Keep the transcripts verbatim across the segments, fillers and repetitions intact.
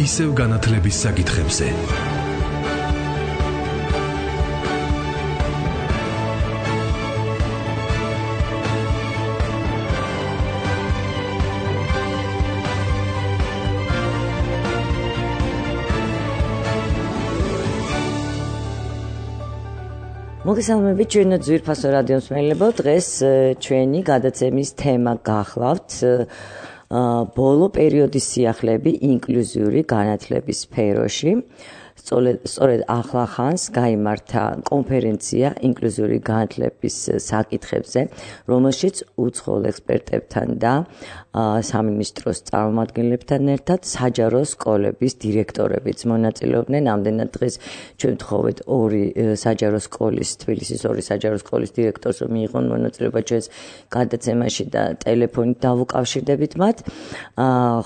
ისევ განათლების საკითხებზე. მოგესალმებით ჩვენო ძვირფასო რადიო მსმენელებო, დღეს ჩვენი გადაცემის თემა გახლავთ ბოლო პერიოდის სიახლეები ინკლუზიური განათლების სფეროში. სწორედ ახლახანს გაიმართა კონფერენცია ინკლუზიური განათლების საკითხებზე, რომელშიც უცხოელ ექსპერტებთან და სამინისტროს წარმომადგენლებთან ერთად საჯარო სკოლების დირექტორებიც მონაწილეობდნენ. ამდენად დღეს ჩვენ ვთხოვეთ ორი საჯარო სკოლის, თბილისის ორი საჯარო სკოლის დირექტორს, რომ მიიღონ მონაწილეობა ჩვენს გადაცემაში და ტელეფონით დავუკავშირდებით მათ.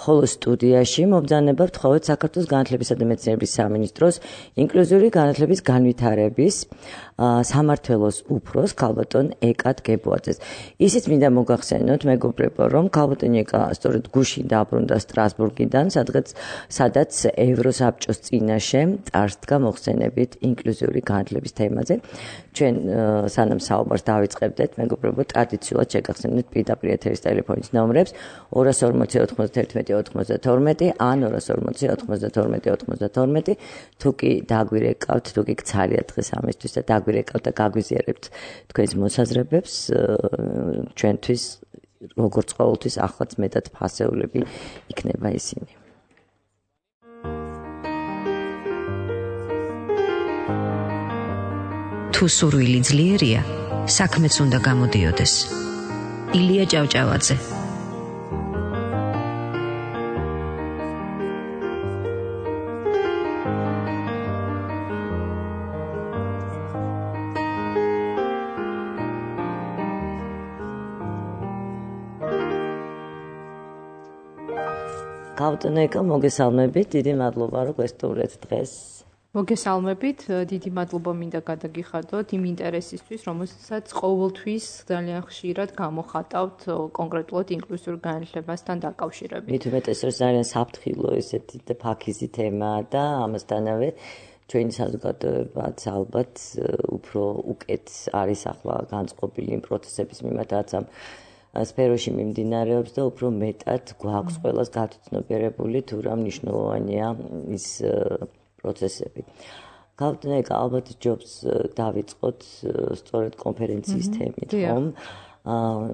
ხოლო სტუდიაში მობრძანება ვთხოვეთ საქართველოს განათლებისა და მეცნიერების სამინისტროს ინკლუზიური განათლების განვითარების სამმართველოს უფროს ქალბატონ ეკად გებუაძეს. ისიც მინდა მოგახსენოთ მეგობრებო, რომ ქალბატონ ეკა სწორედ გუშინ დაბრუნდა სტრასბურგიდან, სადღაც სადაც ევროსაბჭოს წინაშე წარსდგა მოხსენებით ინკლუზიური განათლების თემაზე. ჩვენ სანამ საუბარს დავიწყებდეთ, მეგობრებო, ტრადიციულად შეგახსენებთ პირდაპირ ეთერის ტელეფონის ნომრებს ორას ორმოცი ოთხმოცდაერთმეტი ოთხმოცდათორმეტი ან ორას ორმოცი ოთხმოცდათორმეტი ოცდათორმეტი. თუ კი დაგვირეკავთ, თუ კი გცალია დღეს ამისთვის და დაგვირეკავთ და გაგვიზიარებთ თქვენს მოსაზრებებს, ჩვენთვის როგორც ყოველთვის ახლაც მეტად ფასეულები იქნება ისინი. თუ სურვილი ძლიერია, საქმეც უნდა გამოდიოდეს. ილია ჭავჭავაძე. ქალბატონ ეკა, მოგესალმებით, დიდი მადლობა რომ გვესტუმრეთ დღეს. მოგესალმებით, დიდი მადლობა მინდა გადაგიხადოთ იმ ინტერესისთვის, რომელსაც ყოველთვის ძალიან ხშირად გამოხატავთ კონკრეტულად ინკლუზიურ განათლებასთან დაკავშირებით. მით უმეტეს რომ ძალიან საფრთხილო ესეთი და ფაქიზი თემაა და ამასთანავე ჩვენი საზოგადოებაც ალბათ უფრო უკეთ არის ახლა განწყობილი იმ პროცესების მიმართ, რაც ამ სფეროში მიმდინარეობს და უფრო მეტად გვაქვს ყველას გათვითცნობიერებული თუ რა მნიშვნელოვანია ის პროცესები. ქალბატონ ეკა, ალბათ ჯობს დავიწყოთ სწორედ კონფერენციის თემით, ხომ?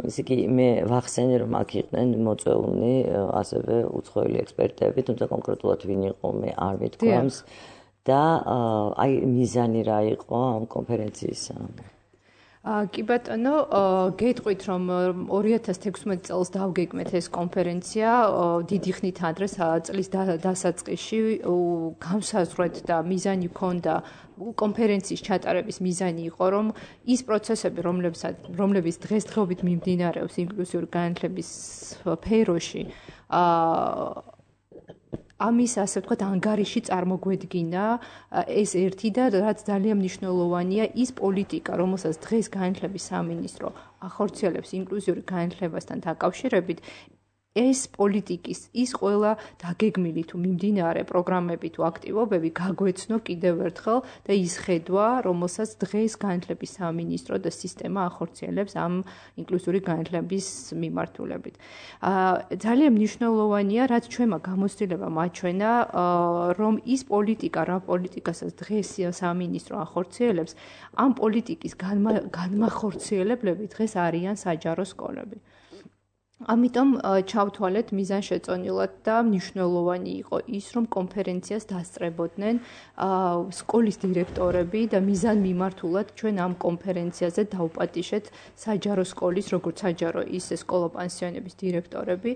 ისე კი მე ვახსენე, რომ აქ იყვნენ მოწვეულნი ასევე უცხოელი ექსპერტები, თუმცა კონკრეტულად ვინ იყო მე არ მითქვამს და აი მიზანი რა იყო ამ კონფერენციისა? კი ბატონო, გეტყვით რომ ორი ათას თექვსმეტი წელს დავგეგმეთ ეს კონფერენცია, დიდი ხნით ადრე წლის დასაწყისში განსაზღვრეთ და მიზანი ჰქონდა კონფერენციის ჩატარების მიზანი იყო, რომ ის პროცესები, რომლებიც დღესდღეობით მიმდინარეობს ინკლუზიური განათლების სფეროში, ამის ასე ვთქვათ ანგარიში წარმოგვედგინა ეს ერთი და რაც ძალიან მნიშვნელოვანია ის პოლიტიკა, რომელსაც დღეს განათლების სამინისტრო ახორციელებს ინკლუზიური განათლებასთან დაკავშირებით, ეს პოლიტიკის ის ყველა დაგეგმილი თუ მიმდინარე პროგრამები თუ აქტივობები გაგვეცნო კიდევ ერთხელ და ის ხედვა, რომელსაც დღეს განათლების სამინისტრო და სისტემა ახორციელებს ამ ინკლუზიური განათლების მიმართულებით. ძალიან მნიშვნელოვანია, რაც ჩვენმა გამოცდილებამ აჩვენა, რომ ის პოლიტიკა, რა პოლიტიკასაც დღეს სამინისტრო ახორციელებს, ამ პოლიტიკის განმახორციელებლები დღეს არიან საჯარო სკოლები. ამიტომ ჩავთვალეთ მიზანშეწონილად და მნიშვნელოვანი იყო ის, რომ კონფერენციას დასწრებოდნენ სკოლის დირექტორები და მიზან მიმართულად ჩვენ ამ კონფერენციაზე დავპატიშეთ საჯარო სკოლის, როგორც საჯარო, ისე სკოლა-პანსიონების დირექტორები,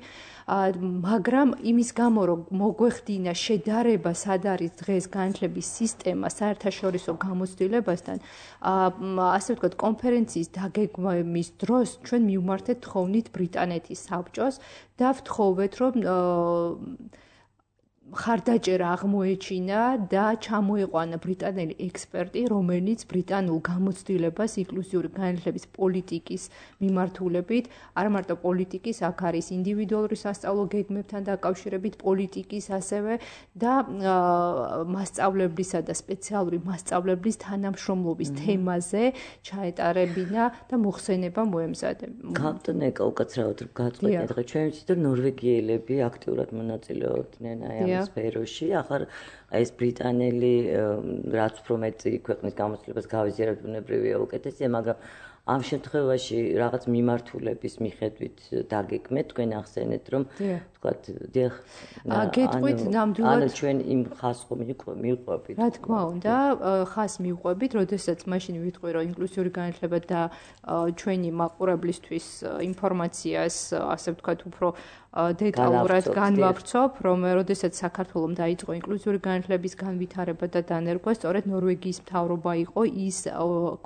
მაგრამ იმის გამო, რომ მოგვეხდინა შედარება, სად არის დღეს განათლების სისტემა საერთაშორისო გამოცდილებასთან, ასე ვთქვათ, კონფერენციის დაგეგმვის დროს ჩვენ მივმართეთ თხოვნით ბრიტანეთის საბჭოს და ვთხოვეთ, რომ ხარდაჭერა აღმოეჩინა და ჩამოიყვანა ბრიტანელი ექსპერტი, რომელიც ბრიტანულ გამოცდილებას ინკლუზიური განათლების პოლიტიკის მიმართულებით, არა მარტო პოლიტიკის, აქ არის ინდივიდუალური სასწავლო გეგმებთან დაკავშირებით პოლიტიკის, ასევე და მასწავლებლისა და სპეციალური მასწავლებლის თანამშრომლობის თემაზე ჩაეტარებინა და მოხსენება მოემზადებინა. Captain Eka უკაცრავად გაწყვეტეთ, ხა ჩვენ ვიცით რომ ნორვეგიელები აქტიურად მონაწილეობდნენ აი ამ სფეროში, ახლა ეს ბრიტანელი რაც უფრო მეტი ქვეყნის გამოცდილებას გავიზიარებთ ბუნებრივია უკეთესია, მაგრამ ამ შემთხვევაში რაღაც მიმართულების მიხედვით დაგეგმეთ, თქვენ ახსენეთ რომ ვთქვათ, დიახ, გეტყვით ნამდვილად ანუ ჩვენ იმ ხას ხომ მივყვებით. რა თქმა უნდა, ხას მივყვებით, როდესაც მაშინ ვიტყვი რომ ინკლუზიური განათლება და ჩვენი მაყურებლისთვის ინფორმაციას, ასე ვთქვათ, უფრო დეტალურად განვავრცობ, რომ როდესაც საქართველოს დაიწყო ინკლუზიური განათლების განვითარება და დანერგვა, სწორედ ნორვეგიის მთავრობა იყო ის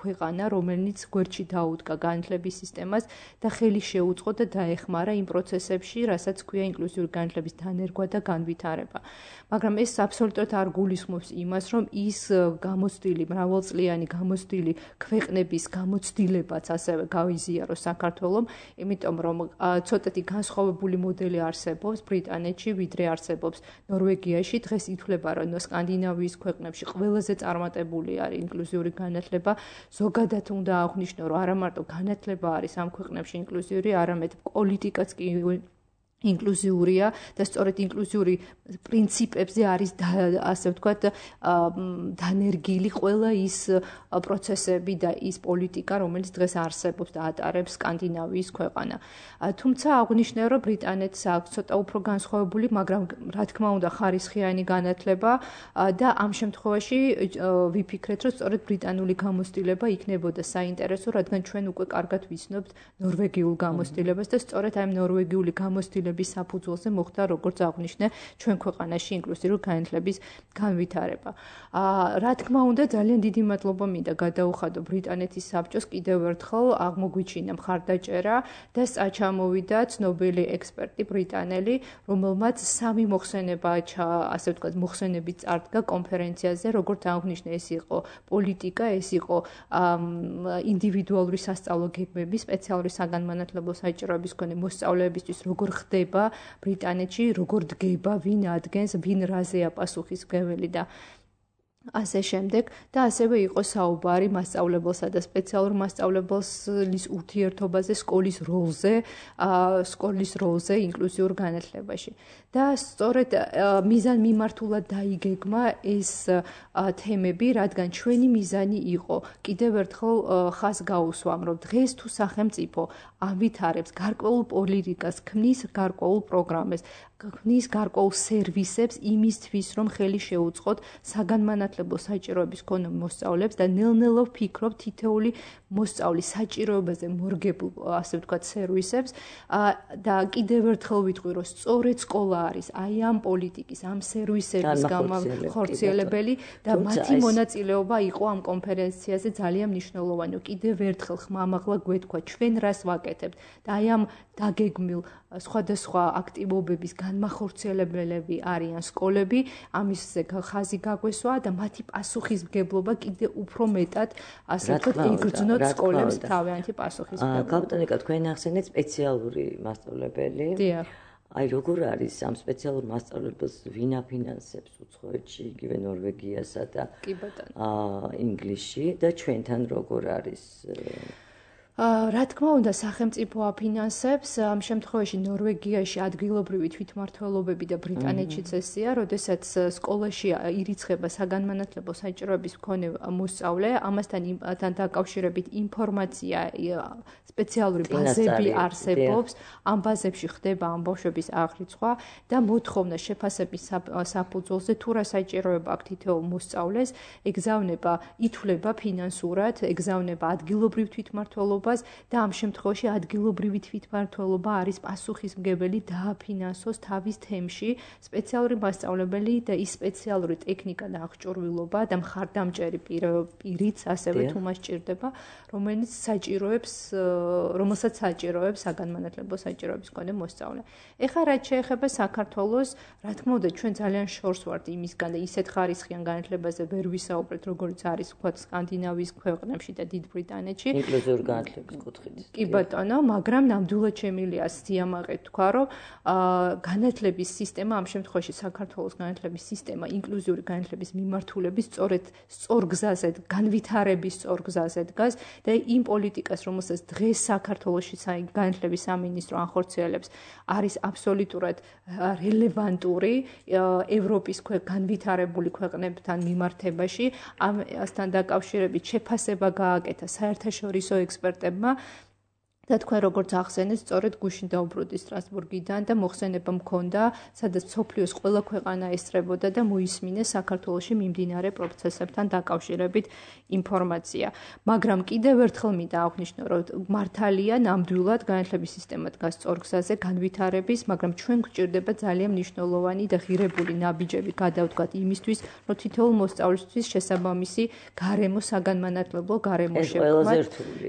ქვეყანა, რომელიც გვერდში დაუდგა განათლების სისტემას და ხელი შეუწყო და დაეხმარა იმ პროცესებში, რასაც ქვია ინკლუზიური განათლების დანერგვა და განვითარება. მაგრამ ეს აბსოლუტურად არ გულისხმობს იმას, რომ ის გამოცდილი, მრავალწლიანი გამოცდილი ქვეყნების გამოცდილებაც ასევე გავიზიარო საქართველოს, იმიტომ რომ ცოტათი განსხვავებული მოდელი არსებობს ბრიტანეთში, ვიდრე არსებობს ნორვეგიაში. დღეს ითვლება, რომ სკანდინავიის ქვეყნებში ყველაზე წარმატებული არის ინკლუზიური განათლება. ზოგადად უნდა აღვნიშნო, რომ არა მარტო განათლება არის ამ ქვეყნებში ინკლუზიური, არამედ პოლიტიკაც კი ინკლუზიურია და სწორედ ინკლუზიური პრინციპებზე არის ასე ვთქვათ დანერგილი ყველა ის პროცესები და ის პოლიტიკა, რომელიც დღეს არსებობს და ატარებს სკანდინავიის ქვეყანა. თუმცა აღვნიშნე, რომ ბრიტანეთს აქვს ცოტა უფრო განსხვავებული, მაგრამ რა თქმა უნდა ხარისხიანი განათლება და ამ შემთხვევაში ვიფიქრეთ, რომ სწორედ ბრიტანული გამოცდილება იქნებოდა საინტერესო, რადგან ჩვენ უკვე კარგად ვიცნობთ ნორვეგიულ გამოცდილებას და სწორედ ამ ნორვეგიული გამოცდილებას საფუძველზე მოხდა, როგორც აღვნიშნე, ჩვენ ქვეყანაში ინკლუზიური განათლების განვითარება. რა თქმა უნდა, ძალიან დიდი მადლობა მინდა გადაუხადო ბრიტანეთის საბჭოს კიდევ ერთხელ აღმოგვიჩინა მხარდაჭერა და წამოვიდა ცნობილი ექსპერტი ბრიტანელი, რომელმაც სამი მოხსენება, ასე ვთქვათ, მოხსენებით წარდგა კონფერენციაზე, როგორც აღვნიშნე, ეს იყო პოლიტიკა, ეს იყო ინდივიდუალური სასწავლო გეგმები, სპეციალური საგანმანათლებლო საჭიროების მქონე მოსწავლეებისთვის, როგორ ხდება ბრიტანეთში, როგორ დგება, ვინ ადგენს, ვინ რაზეა პასუხისმგებელი და ასე შემდეგ და ასევე იყო საუბარი მასწავლებელსა და სპეციალურ მასწავლებლის ურთიერთობაზე, სკოლის როლზე, სკოლის როლზე ინკლუზიურ განათლებაში. და სწორედ მიზან მიმართულად დაიგეგმა ეს თემები, რადგან ჩვენი მიზანი იყო კიდევ ერთხელ ხას გაუსვამ, რომ დღეს თუ სახელმწიფო ავითარებს გარკვეულ პოლიტიკას, ქმნის გარკვეულ პროგრამას, ქმნის გარკვეულ სერვისებს იმისთვის, რომ ხელი შეუწყოთ საგანმანათლებლო საჭიროების მქონე მოსწავლეებს და ნელ-ნელა ვფიქრობ თითოეული მოსწავლის საჭიროებაზე მორგებულ, ასე ვთქვათ, სერვისებს და კიდევ ერთხელ ვიტყვი, რომ სწორედ სკოლა არის აი ამ პოლიტიკის, ამ სერვისების გამახორციელებელი და მათი მონაწილეობა იყო ამ კონფერენციაზე ძალიან მნიშვნელოვანი. კიდევ ერთხელ ხმამაღლა გვეთქვა, ჩვენ რას ვაკეთებთ და აი ამ დაგეგმილ სხვადასხვა აქტივობების განმახორციელებელები არიან სკოლები, ამისზე ხაზი გაგვესვა და მათი პასუხისმგებლობა კიდევ უფრო მეტად, ასე ვთქვათ, იგრძნოთ სკოლებს თავიანთი პასუხისმგებლობა. კაპიტანიკა, თქვენ ახსენეთ სპეციალური მასწავლებელი. დიახ. აი როგორ არის ამ სპეციალურ მასწავლებელს ვინ აფინანსებს უცხოეთში, იგივე ნორვეგიასა და აა ინგლისში და ჩვენთან როგორ არის? რა თქმა უნდა, სახელმწიფო აფინანსებს, ამ შემთხვევაში ნორვეგიაში ადგილობრივი თვითმმართველობები და ბრიტანეთშიც ესეა, როდესაც სკოლაში ირიცხება საგანმანათლებლო საჭიროების მქონე მოსწავლე, ამასთან დაკავშირებით ინფორმაცია, სპეციალური ბაზები არსებობს, ამ ბაზებში ხდება ამ ბავშვების აღრიცხვა და მოთხოვნა შეფასების საფუძველზე თუ რა საჭიროება აქვს თითოეულ მოსწავლეს, ეგზავნება, ითვლება ფინანსურად, ეგზავნება ადგილობრივ თვითმმართველობებს მმართველობას და ამ შემთხვევაში ადგილობრივი თვითმმართველობა არის პასუხისმგებელი დააფინანსოს თავის თემში სპეციალური მასწავლებელი და ის სპეციალური ტექნიკა და აღჭურვილობა და მხარდამჭერი პირიც ასევე თუ მას ჭირდება, რომელიც საჭიროებს, რომელსაც საჭიროებს საგანმანათლებლო საჭიროების მქონე მოსწავლე. ეხლა რაც შეეხება საქართველოს, რა თქმა უნდა, ჩვენ ძალიან შორს ვართ იმისგან და ისეთ ხარისხიან განათლებაზე ვერ ვისაუბრეთ, როგორც არის ვთქვათ სკანდინავიის ქვეყნებში და დიდ ბრიტანეთში. ინკლუზიური განათლების კუთხით. კი ბატონო, მაგრამ ნამდვილად შემილია სიამაყედ თქვა, რომ განათლების სისტემა ამ შემთხვევაში საქართველოს განათლების სისტემა ინკლუზიური განათლების მიმართულების სწორედ სწორ გზაზე, განვითარების სწორ გზაზე დგას და იმ პოლიტიკას, რომელსაც დღეს საქართველოში განათლების სამინისტრო ახორციელებს, არის აბსოლუტურად რელევანტური ევროპის განვითარებული ქვეყნებთან მიმართებაში. ამასთან დაკავშირებით შეფასება გააკეთა საერთაშორისო ექსპერტებმა და თქვენ როგორც ახსენეთ, სწორედ გუშინ დაუბრუნდი სტრასბურგიდან და მოხსენება მქონდა, სადაც მსოფლიოს ყველა ქვეყანა ესწრებოდა და მოისმინეს საქართველოში მიმდინარე პროცესებთან დაკავშირებით ინფორმაცია. მაგრამ კიდევ ერთხელ მინდა აღვნიშნო, რომ მართალია ნამდვილად განათლების სისტემა დგას სწორ გზაზე განვითარების, მაგრამ ჩვენ გვჭირდება ძალიან მნიშვნელოვანი და ღირებული ნაბიჯები გადავდგათ იმისთვის, რომ თითოეულ მოსწავლისთვის შესაბამისი გარემო საგანმანათლებლო გარემო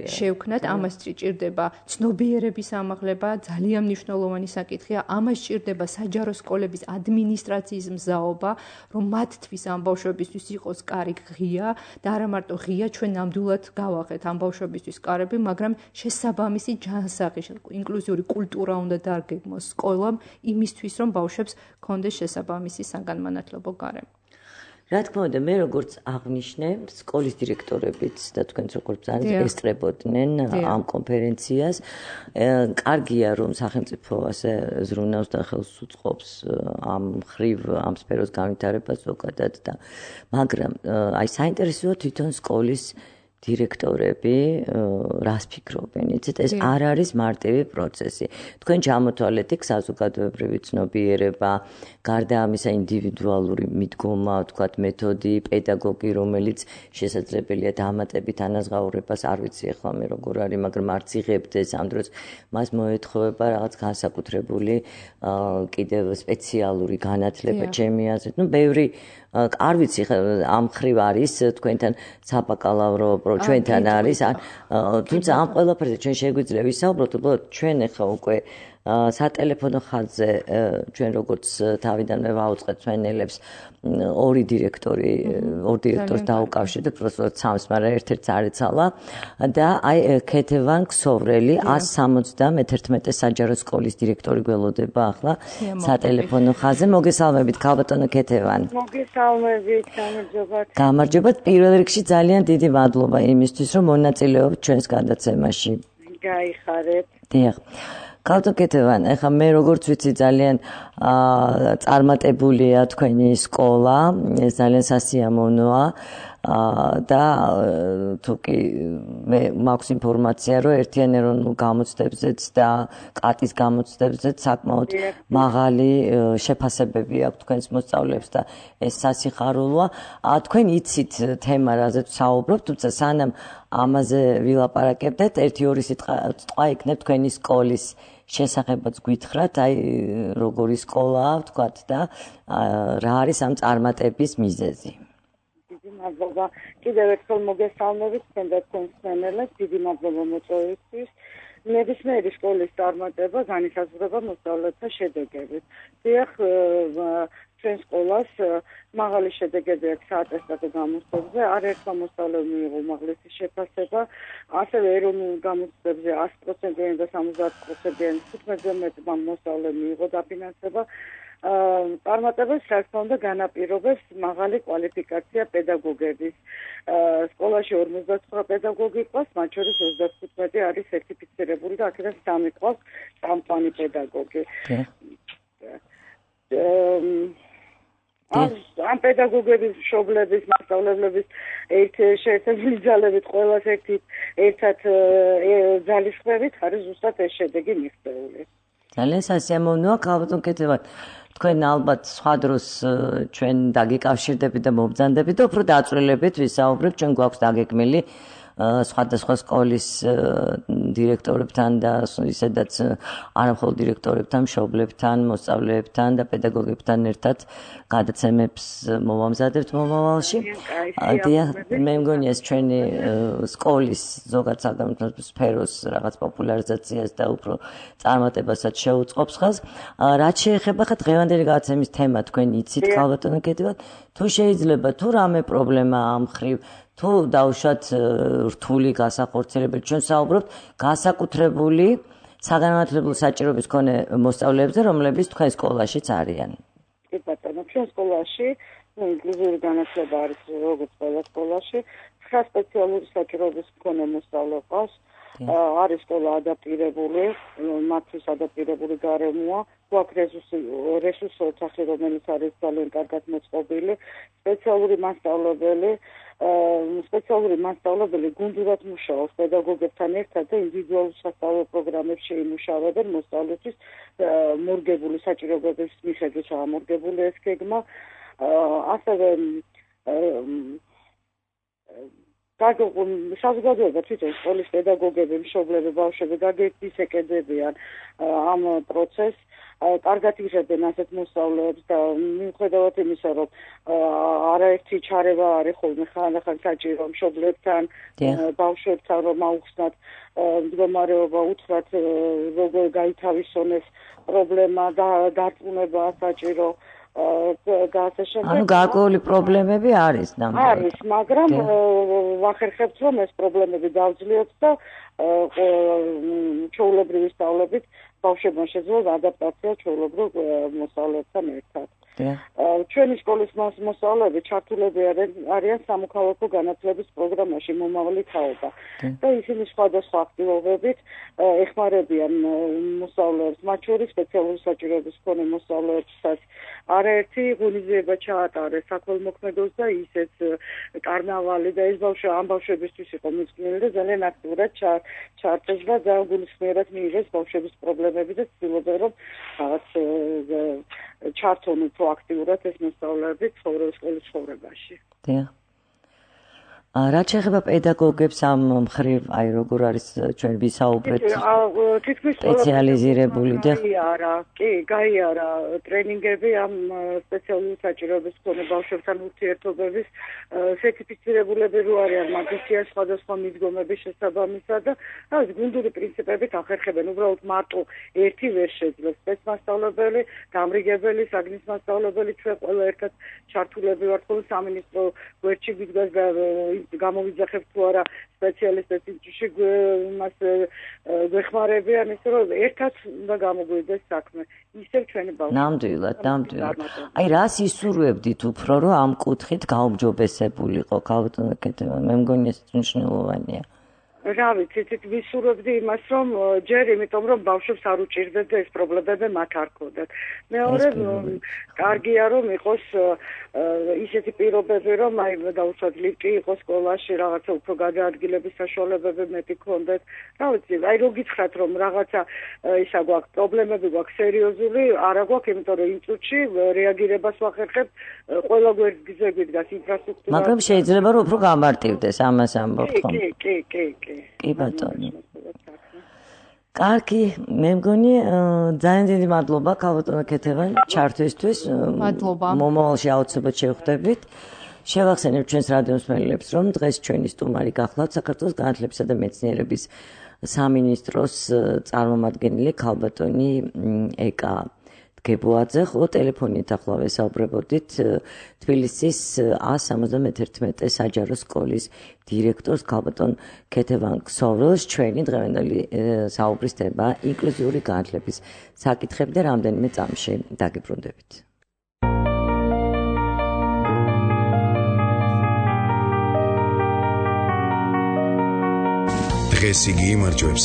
შევქმნათ. ამას ჭირდება ცნობიერების ამაღლება, ძალიან მნიშვნელოვანი საკითხია. ამას ჭირდება საჯარო სკოლების ადმინისტრაციის მზაობა, რომ მათთვის ამ ბავშვებისთვის იყოს კარი ღია და არა მარტო ღია, ჩვენ ნამდვილად გავახეთ ამ ბავშვებისთვის კარები, მაგრამ შესაბამისი ჯანსაღი, ინკლუზიური კულტურა უნდა დარგეგმოს სკოლამ იმისთვის, რომ ბავშვებს ჰქონდეს შესაბამისი საგანმანათლებლო გარემო. რა თქმა უნდა, მე როგორც აღნიშნე, სკოლის დირექტორებიც და თქვენც როგორც ძალიან ესწრებოდნენ ამ კონფერენციას. კარგია, რომ სახელმწიფო ასე ზრუნავს და ხელს უწყობს ამ მხრივ ამ სფეროს განვითარებას ზოგადად და მაგრამ აი საინტერესოა თვითონ სკოლის დირექტორები რას ფიქრობენ, იცით, ეს არ არის მარტივი პროცესი. თქვენ ჩამოთვალეთ იქ საზოგადოებრივი ცნობიერება, გარდა ამისა ინდივიდუალური მიდგომა, ვთქვათ, მეთოდი, პედაგოგი, რომელიც შესაძლებელია დამატებით ანაზღაურებას, არ ვიცი ახლა მე როგორ არის, მაგრამ არც იღებდეს ამ დროს მას მოეთხოვება რაღაც განსაკუთრებული კიდევ სპეციალური განათლება ჩემი აზრით. ნუ ბევრი არ ვიცი ამ ხრივ არის თქვენთან საბაკალავრო ჩვენთან არის თუმცა ამ ყველაფერზე ჩვენ შეგვიძლია ვისაუბროთ უბრალოდ ჩვენ ახლა უკვე სატელეფონო ხაზზე ჩვენ როგორც თავიდანვე ვაუწყეთ ჩვენელებს ორი დირექტორი ორ დირექტორს დაუკავშირდით უბრალოდ სამს მაგრამ ერთ-ერთს არ ეცალა და აი ქეთევან ქსოვრელი one seventy-one საჯარო სკოლის დირექტორი გველოდება ახლა სატელეფონო ხაზზე მოგესალმებით ქალბატონო ქეთევან მოგესალმებით გამარჯობათ გამარჯობათ პირველ რიგში ძალიან დიდი მადლობა იმისთვის რომ მონაწილეობთ ჩვენს გადაცემაში გაიხარეთ დიახ ქალბატონო ქეთევან, ეხლა მე როგორც ვიცი ძალიან წარმატებულია თქვენი სკოლა, ეს ძალიან სასიამოვნოა და თუკი მე მაქვს ინფორმაცია, რომ ერთიან ეროვნულ გამოცდებზეც და კატის გამოცდებზეც საკმაოდ მაღალი შეფასებები აქვს თქვენს მოსწავლეებს და ეს სასიხარულოა. თქვენ იცით თემა, რაზეც საუბრობთ, თუმცა სანამ ამაზე ვილაპარაკებდეთ, ერთი ორი სიტყვა იქნებ თქვენი სკოლის შესახებაც გითხრათ, აი როგორი სკოლაა, ვთქვათ და რა არის ამ წარმატების მიზეზი. დიდი მადლობა. კიდევ ერთხელ მოგესალმებით თქვენ და თქვენს მსმენელებს, დიდი მადლობა მოწვევისთვის. ნებისმიერი სკოლის წარმატება განისაზღვრება მოსწავლეთა შედეგებით. დიახ, ჩვენ სკოლას მაღალი შედეგები აქვს საატესტატო გამოცდებზე, არაერთმა მოსწავლემ მიიღო უმაღლესი შეფასება, ასევე ეროვნულ გამოცდებზე one hundred პროცენტიანი და seventy პროცენტიანი თხუთმეტზე მეტმა მოსწავლემ მიიღო დაფინანსება. წარმატებას რა თქმა უნდა განაპირობებს მაღალი კვალიფიკაცია პედაგოგების. სკოლაში forty-nine პედაგოგი ყავს, მათ შორის thirty-five არის სერტიფიცირებული და აქედან სამი ყავს წამყვანი პედაგოგი. ამ პედაგოგების მშობლების, მასწავლებლების ერთ შეერთებული ძალებით ყველას ერთით ერთად ძალისხმევით არის ზუსტად ეს შედეგი მიღწეული. ძალიან სასიამოვნოა ქალბატონ ქეთევან. თქვენ ალბათ სხვა დროს ჩვენ დაგიკავშირდებით და მომბრძანდებით და უფრო დაწვრილებით ვისაუბრებთ, ჩვენ გვაქვს დაგეგმილი სხვადასხვა სკოლის დირექტორებთან და ისედაც არა მხოლოდ დირექტორებთან, მშობლებთან, მოსწავლეებთან და პედაგოგებთან ერთად გადაცემებს მოვამზადებთ მომავალში. დიახ, მე მგონია ეს ჩვენი სკოლის ზოგად საგანმანათლებლო სფეროს რაღაც პოპულარიზაციას და უფრო წარმატებასაც შეუწყობს ხაზს. რაც შეეხება ხა დღევანდელი გადაცემის თემა თქვენ იცით ქალბატონო კეთილად, თუ შეიძლება თუ რამე პრობლემა ამ ხრივ თუ დავუშვათ რთული გასახორციელებელი ჩვენ საუბრობთ განსაკუთრებული საგანმანათლებლო საჭიროების მქონე მოსწავლეებზე, რომლებიც თქვენ სკოლაშიც არიან. კი ბატონო, ჩვენ სკოლაში ინკლუზიური განათლება არის როგორც ყველა სკოლაში, ცხრა სპეციალური საჭიროების მქონე მოსწავლე ყავს. არის სკოლა ადაპტირებული, მათთვის ადაპტირებული გარემოა, გვაქვს რესურსი ოთახი, რომელიც არის ძალიან კარგად მოწყობილი, სპეციალური მასწავლებელი, სპეციალური მასწავლებელი გუნდურად მუშაობს პედაგოგებთან ერთად და ინდივიდუალურ სასწავლო პროგრამებში იმუშავებენ მოსწავლეთვის მორგებული საჭიროებების მიხედვით ამორგებული ეს გეგმა, ასევე საზოგადოება თვითონ სკოლის პედაგოგები, მშობლები, ბავშვები გაგეთის ეკედებიან ამ პროცესს, კარგად იღებენ ასეთ მოსწავლეებს და მიუხედავად იმისა, რომ არაერთი ჩარევა არის ხოლმე ხანდახან საჭირო მშობლებთან, ბავშვებთან, რომ აუხსნათ მდგომარეობა, უთხრათ როგორ გაითავისონეს პრობლემა და დარწმუნება საჭირო. ანუ გარკვეული პრობლემები არის ნამდვილად. არის, მაგრამ ვახერხებთ, რომ ეს პრობლემები დავძლიოთ და ჩვეულებრივი სწავლებით ბავშვებმა შეძლოს ადაპტაცია ჩვეულებრივ მოსწავლეებთან ერთად. ჩვენი სკოლის მოსწავლეები ჩართულები არიან სამოქალაქო განათლების პროგრამაში მომავალი თაობა და ისინი სხვადასხვა აქტივობებით ეხმარებიან მოსწავლეებს, მათ შორის სპეციალური საჭიროების მქონე მოსწავლეებსაც არაერთი ღონისძიება ჩაატარეს საქველმოქმედოს და ისეც კარნავალი და ეს ბავშვი ამ ბავშვებისთვის იყო მიძღვნილი და ძალიან აქტიურად ჩაარჩეს და ძალიან გულისხმიერად მიიღეს ბავშვების პრობლემები და ცდილობენ რომ რაღაც ჩართონ უფრო აქტიურად ეს მოსწავლეები სკოლის ცხოვრებაში. დიახ. რაც შეეხება პედაგოგებს ამ მხრივ, აი როგორ არის ჩვენ ვისაუბრეთ სპეციალიზირებული და არა, კი, გაიარა ტრენინგები ამ სპეციალური საჭიროების მქონე ბავშვებთან ურთიერთობების სერტიფიცირებულები რო არიან მაგისტრიან სხვადასხვა მიდგომების შესაბამისად და ეს გუნდური პრინციპებით ახერხებენ, უბრალოდ მარტო ერთი ვერ შეძლებს სპეცმასწავლებელი, გამრიგებელი, საგნის მასწავლებელი, ჩვენ ყველა ერთად ჩართულები ვართ ხოლმე სამინისტრო გვერდში ვიდგას და გამოვიძახებთ თუ არა სპეციალისტებს ინსტიტუტში მას გვეხმარებიან ისე რომ ერთად უნდა გამოგვიდეს საქმე ისევ ჩვენი ბავშვები ნამდვილად ნამდვილად აი რას ისურვებდით უფრო რომ ამ კუთხით გაუმჯობესებულიყო ქალბატონო კეთილმა მე მგონია ეს მნიშვნელოვანია რა ვიცი, ცით ვისურვებდი იმას, რომ ჯერ იმიტომ, რომ ბავშვებს არ უჭირდეთ და ეს პრობლემები მათ არ ქონდათ. მეორე, კარგია, რომ იყოს ისეთი პირობები, რომ აი დაუშვათ ლიფტი იყოს სკოლაში, რაღაცა უფრო გადაადგილების საშუალებები მეტი ქონდეთ. რა ვიცი, აი რო გითხრათ, რომ რაღაცა ისა გვაქვს პრობლემები გვაქვს სერიოზული, არა გვაქვს, იმიტომ რომ იმ წუთში რეაგირებას ვახერხებთ, ყველა გვერდზე გვიდგას ინფრასტრუქტურა. მაგრამ შეიძლება რომ უფრო გამარტივდეს ამას ამბობთ ხომ? კი, კი, კი, კი. კი ბატონო. კარგი, მე მგონი ძალიან დიდი მადლობა ქალბატონო კეთილმა ჩართვისთვის. მადლობა. მომავალში აუცილებლად შევხვდებით. შევახსენებ ჩვენს რადიომსმენელებს, რომ დღეს ჩვენი სტუმარი გახლავთ საქართველოს განათლებისა და მეცნიერების სამინისტროს წარმომადგენელი ქალბატონი ეკა გებოაძე, ხო ტელეფონით ახლა ვესაუბრებოდით თბილისის ას სამოცდამეთერთმეტე საჯარო სკოლის დირექტორს ქალბატონ ქეთევან ქსოვრელს. ჩვენი დღევანდელი საუბრის თემა ინკლუზიური განათლების საკითხები და რამდენიმე წამში დაგიბრუნდებით. დღეს იგი იმარჯვებს,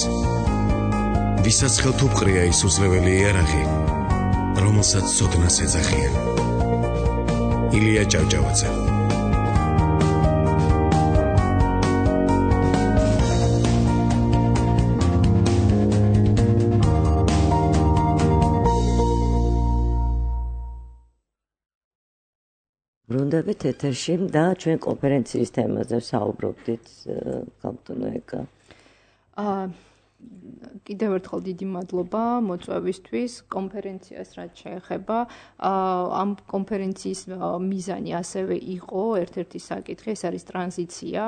ვისაც ხელთუყრია ის უძლეველი იარაღი, რომელსაც სოდნას ეძახიან. ილია ჭავჭავაძე. ბრუნდებით ეთერში და ჩვენ კონფერენციის თემაზე საუბრობდით კაპიტანო ეკა. აა კიდევ ერთხელ დიდი მადლობა მოწვევისთვის კონფერენციას რაც შეეხება. ამ კონფერენციის მიზანი ასევე იყო ერთ-ერთი საკითხი, ეს არის ტრანზიცია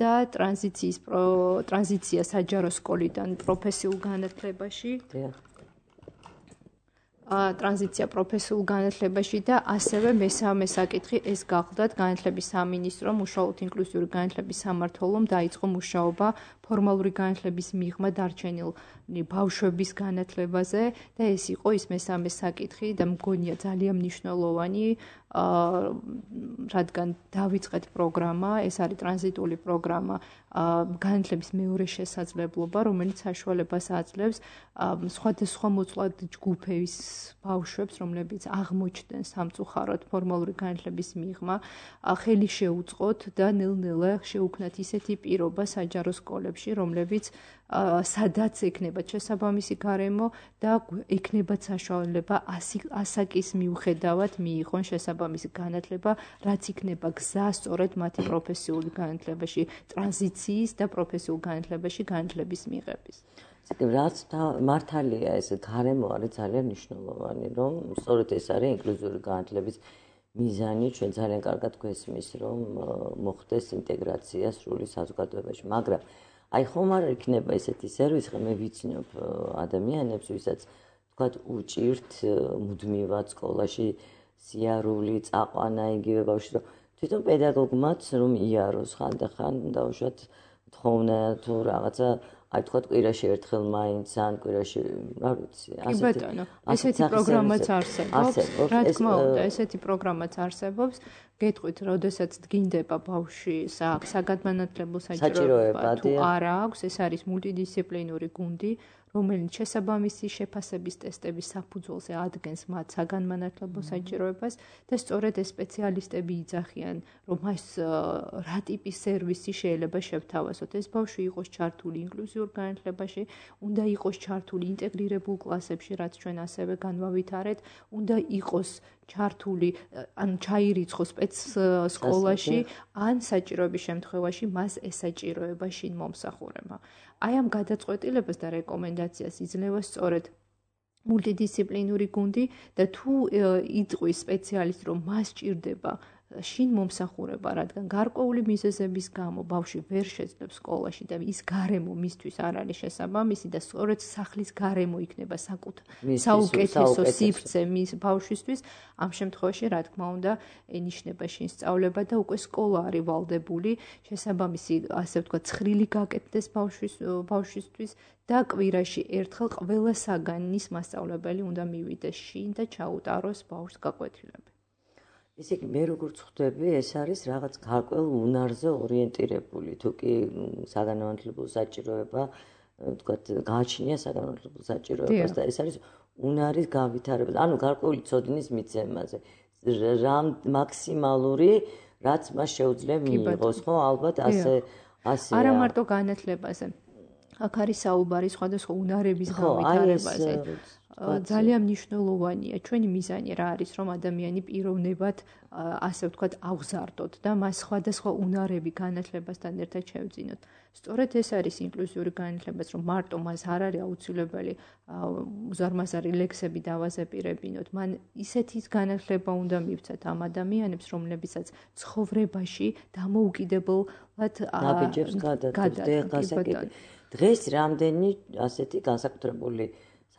და ტრანზიციის ტრანზიცია საჯარო სკოლიდან პროფესიულ განათლებაში. ტრანზიცია პროფესიულ განათლებაში და ასევე მესამე საკითხი ეს გახლდათ განათლების სამინისტრომ უშუალოდ ინკლუზიური განათლების სამმართველომ დაიწყო მუშაობა ფორმალური განათლების მიღმა დარჩენილ ბავშვების განათლებაზე და ეს იყო ის მესამე საკითხი და მგონია ძალიან მნიშვნელოვანი რადგან დავიწყეთ პროგრამა, ეს არის ტრანზიტული პროგრამა განათლების მეორე შესაძლებლობა, რომელიც საშუალებას აძლევს სხვადასხვა მოწყვლად ჯგუფების ბავშვებს, რომლებიც აღმოჩნდნენ სამწუხაროდ ფორმალური განათლების მიღმა, ხელი შეუწყოთ და ნელ-ნელა შეუქმნათ ისეთი პირობა საჯარო სკოლებში, რომლებიც სადაც ექნებათ შესაბამისი გარემო და ექნებათ საშუალება ასაკის მიუხედავად მიიღონ შესაბამისი განათლება, რაც იქნება გზა სწორედ მათი პროფესიული განათლებაში, ტრანზიციის და პროფესიულ განათლებაში განათლების მიღების. რაც მართალია ეს გარემო არის ძალიან მნიშვნელოვანი, რომ სწორედ ეს არის ინკლუზიური განათლების მიზანი, ჩვენ ძალიან კარგად გვესმის, რომ მოხდეს ინტეგრაცია სრული საზოგადოებაში, მაგრამ აი ხომ არ იქნება ესეთი სერვისი, ხომ მე ვიცნობ ადამიანებს, ვისაც თქვათ უჭირთ მუდმივად სკოლაში სიარული, წაყვანა იგივე ბავშვი, რომ თვითონ პედაგოგმაც რომ იაროს ხანდახან დაუშვათ თხოვნა თუ რაღაცა აი თქვათ კვირაში ერთხელ მაინც ან კვირაში რა ვიცი ასეთი კი ბატონო ესეთი პროგრამაც არსებობს რა თქმა უნდა ესეთი პროგრამაც არსებობს გეტყვით როდესაც დგინდება ბავშვი საგადმანათლებლო საჭიროება თუ არა აქვს ეს არის მულტიდისციპლინური გუნდი რომელიც შესაბამისი შეფასების ტესტების საფუძველზე ადგენს მათ საგანმანათლებლო საჭიროებას და სწორედ ეს სპეციალისტები იძახიან, რომ ეს რა ტიპის სერვისი შეიძლება შევთავაზოთ. ეს ბავშვი იყოს ჩართული ინკლუზიურ განათლებაში, უნდა იყოს ჩართული ინტეგრირებულ კლასებში, რაც ჩვენ ასევე განვავითარეთ, უნდა იყოს ჩართული, ან ჩაირიცხოს სპეც სკოლაში, ან საჭიროების შემთხვევაში მას ესაჭიროება შინ მომსახურება. აი ამ გადაწყვეტილებას და რეკომენდაციას იძლევა სწორედ მულტიდისციპლინური გუნდი და თუ იტყვის სპეციალისტი, რომ მას ჭირდება შინ მომსახურება, რადგან გარკვეული მიზეზების გამო ბავშვი ვერ შეძლებს სკოლაში და ის გარემო მისთვის არ არის შესაბამისი და სწორედ სახლის გარემო იქნება საუკეთესო სივრცე მის ბავშვისთვის, ამ შემთხვევაში, რა თქმა უნდა, ენიშნება შინ სწავლება და უკვე სკოლა არის ვალდებული შესაბამისი, ასე ვთქვათ, ცხრილი გაკეთდეს ბავშვის ბავშვისთვის და კვირაში ერთხელ ყველა საგანის მასწავლებელი უნდა მივიდეს შინ და ჩაუტაროს ბავშვს გაკვეთილები. ისე კი მე როგორც ხვდები, ეს არის რაღაც გარკვეულ უნარზე ორიენტირებული, თუ კი საგანმანათლებლო საჭიროება, ვთქვათ, გააჩნია საგანმანათლებლო საჭიროებას და ეს არის უნარის გავითარება. ანუ გარკვეული ცოდნის მიცემაზე. რამ მაქსიმალური, რაც მას შეუძლია მიიღოს, ხო, ალბათ ასე ასე. არა მარტო განათლებაზე. აქ არის საუბარი სხვადასხვა უნარების გავითარებაზე. ძალიან მნიშვნელოვანია ჩვენი მიზანი რა არის რომ ადამიანი პიროვნებად ასე ვთქვათ აღზარდოთ და მას სხვადასხვა უნარები განათლებასთან ერთად შევძინოთ. სწორედ ეს არის ინკლუზიური განათლება, რომ მარტო მას არ არის აუცილებელი უზარმაზარი ლექსები დავაზეპირებინოთ. მან ისეთი განათლება უნდა მივცათ ამ ადამიანებს, რომლებიცაც ცხოვრებაში დამოუკიდებლად ნაბიჯებს გადადიან. დღეს რამდენი ასეთი განსაკუთრებული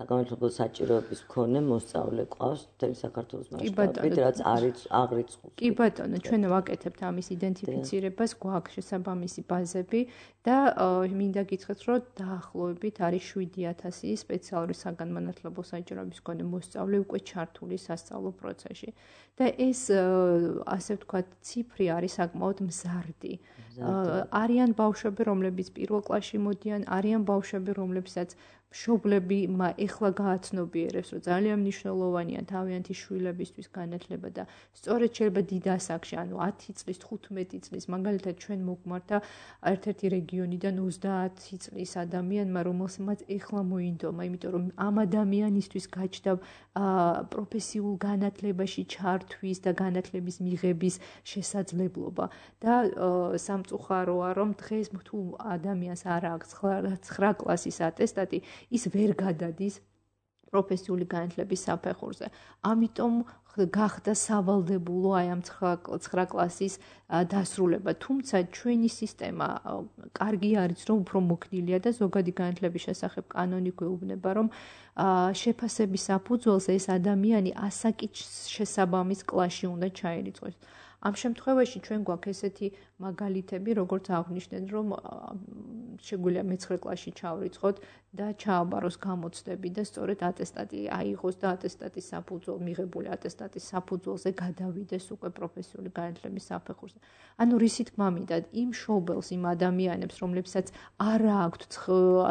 საგანმანათლებლო საჭიროების მქონე მოსწავლე ყავს მთელი საქართველოს მასშტაბით, რაც არის აღრიცხული. კი ბატონო, ჩვენ ვაკეთებთ ამის იდენტიფიცირებას, გვაქვს შესაბამისი ბაზები და მინდა გითხრათ, რომ დაახლოებით არის შვიდი ათასი სპეციალური საგანმანათლებლო საჭიროების მქონე მოსწავლე უკვე ჩართული სასწავლო პროცესში. და ეს ასე ვთქვათ, ციფრი არის საკმაოდ მზარდი. არიან ბავშვები, რომლებიც პირველ კლასში მოდიან, არიან ბავშვები, რომლებსაც მშობლები ეხლა გააცნობიერებს, რომ ძალიან მნიშვნელოვანია თავიანთი შვილებისთვის განათლება და სწორედ შეიძლება დიდ ასაკში, ანუ ათი წლის, თხუთმეტი წლის, მაგალითად ჩვენ მოგმართა ერთ-ერთი რეგიონიდან ოცდაათი წლის ადამიანმა, რომელსაც ეხლა მოინდომა, იმიტომ რომ ამ ადამიანისთვის გაჩნდა პროფესიულ განათლებაში ჩართვის და განათლების მიღების შესაძლებლობა და სამწუხაროა, რომ დღეს თუ ადამიანს არ აქვს ცხრა კლასის ატესტატი, ის ვერ გადადის პროფესიული განათლების საფეხურზე. ამიტომ გახდა სავალდებულო აი ამ ცხრა კლასის დასრულება. თუმცა ჩვენი სისტემა კარგი არის, რომ უფრო მოქნილია და ზოგადი განათლების შესახებ კანონი გვეუბნება, რომ შეფასების საფუძველზე ეს ადამიანი ასაკით შესაბამის კლასში უნდა ჩაირიცხოს. ამ შემთხვევაში ჩვენ გვაქვს ესეთი მაგალითები, როგორც აღნიშნეთ, რომ შეგვიძლია მეცხრე კლასში ჩავრიცხოთ და ჩააბაროს გამოცდები და სწორედ ატესტატი აიღოს და ატესტატის საფუძველ მიღებული ატესტატის საფუძველზე გადავიდეს უკვე პროფესიული განათლების საფეხურზე. ანუ რისი თქმა მინდა, იმ მშობელს, იმ ადამიანებს, რომლებსაც არ აქვთ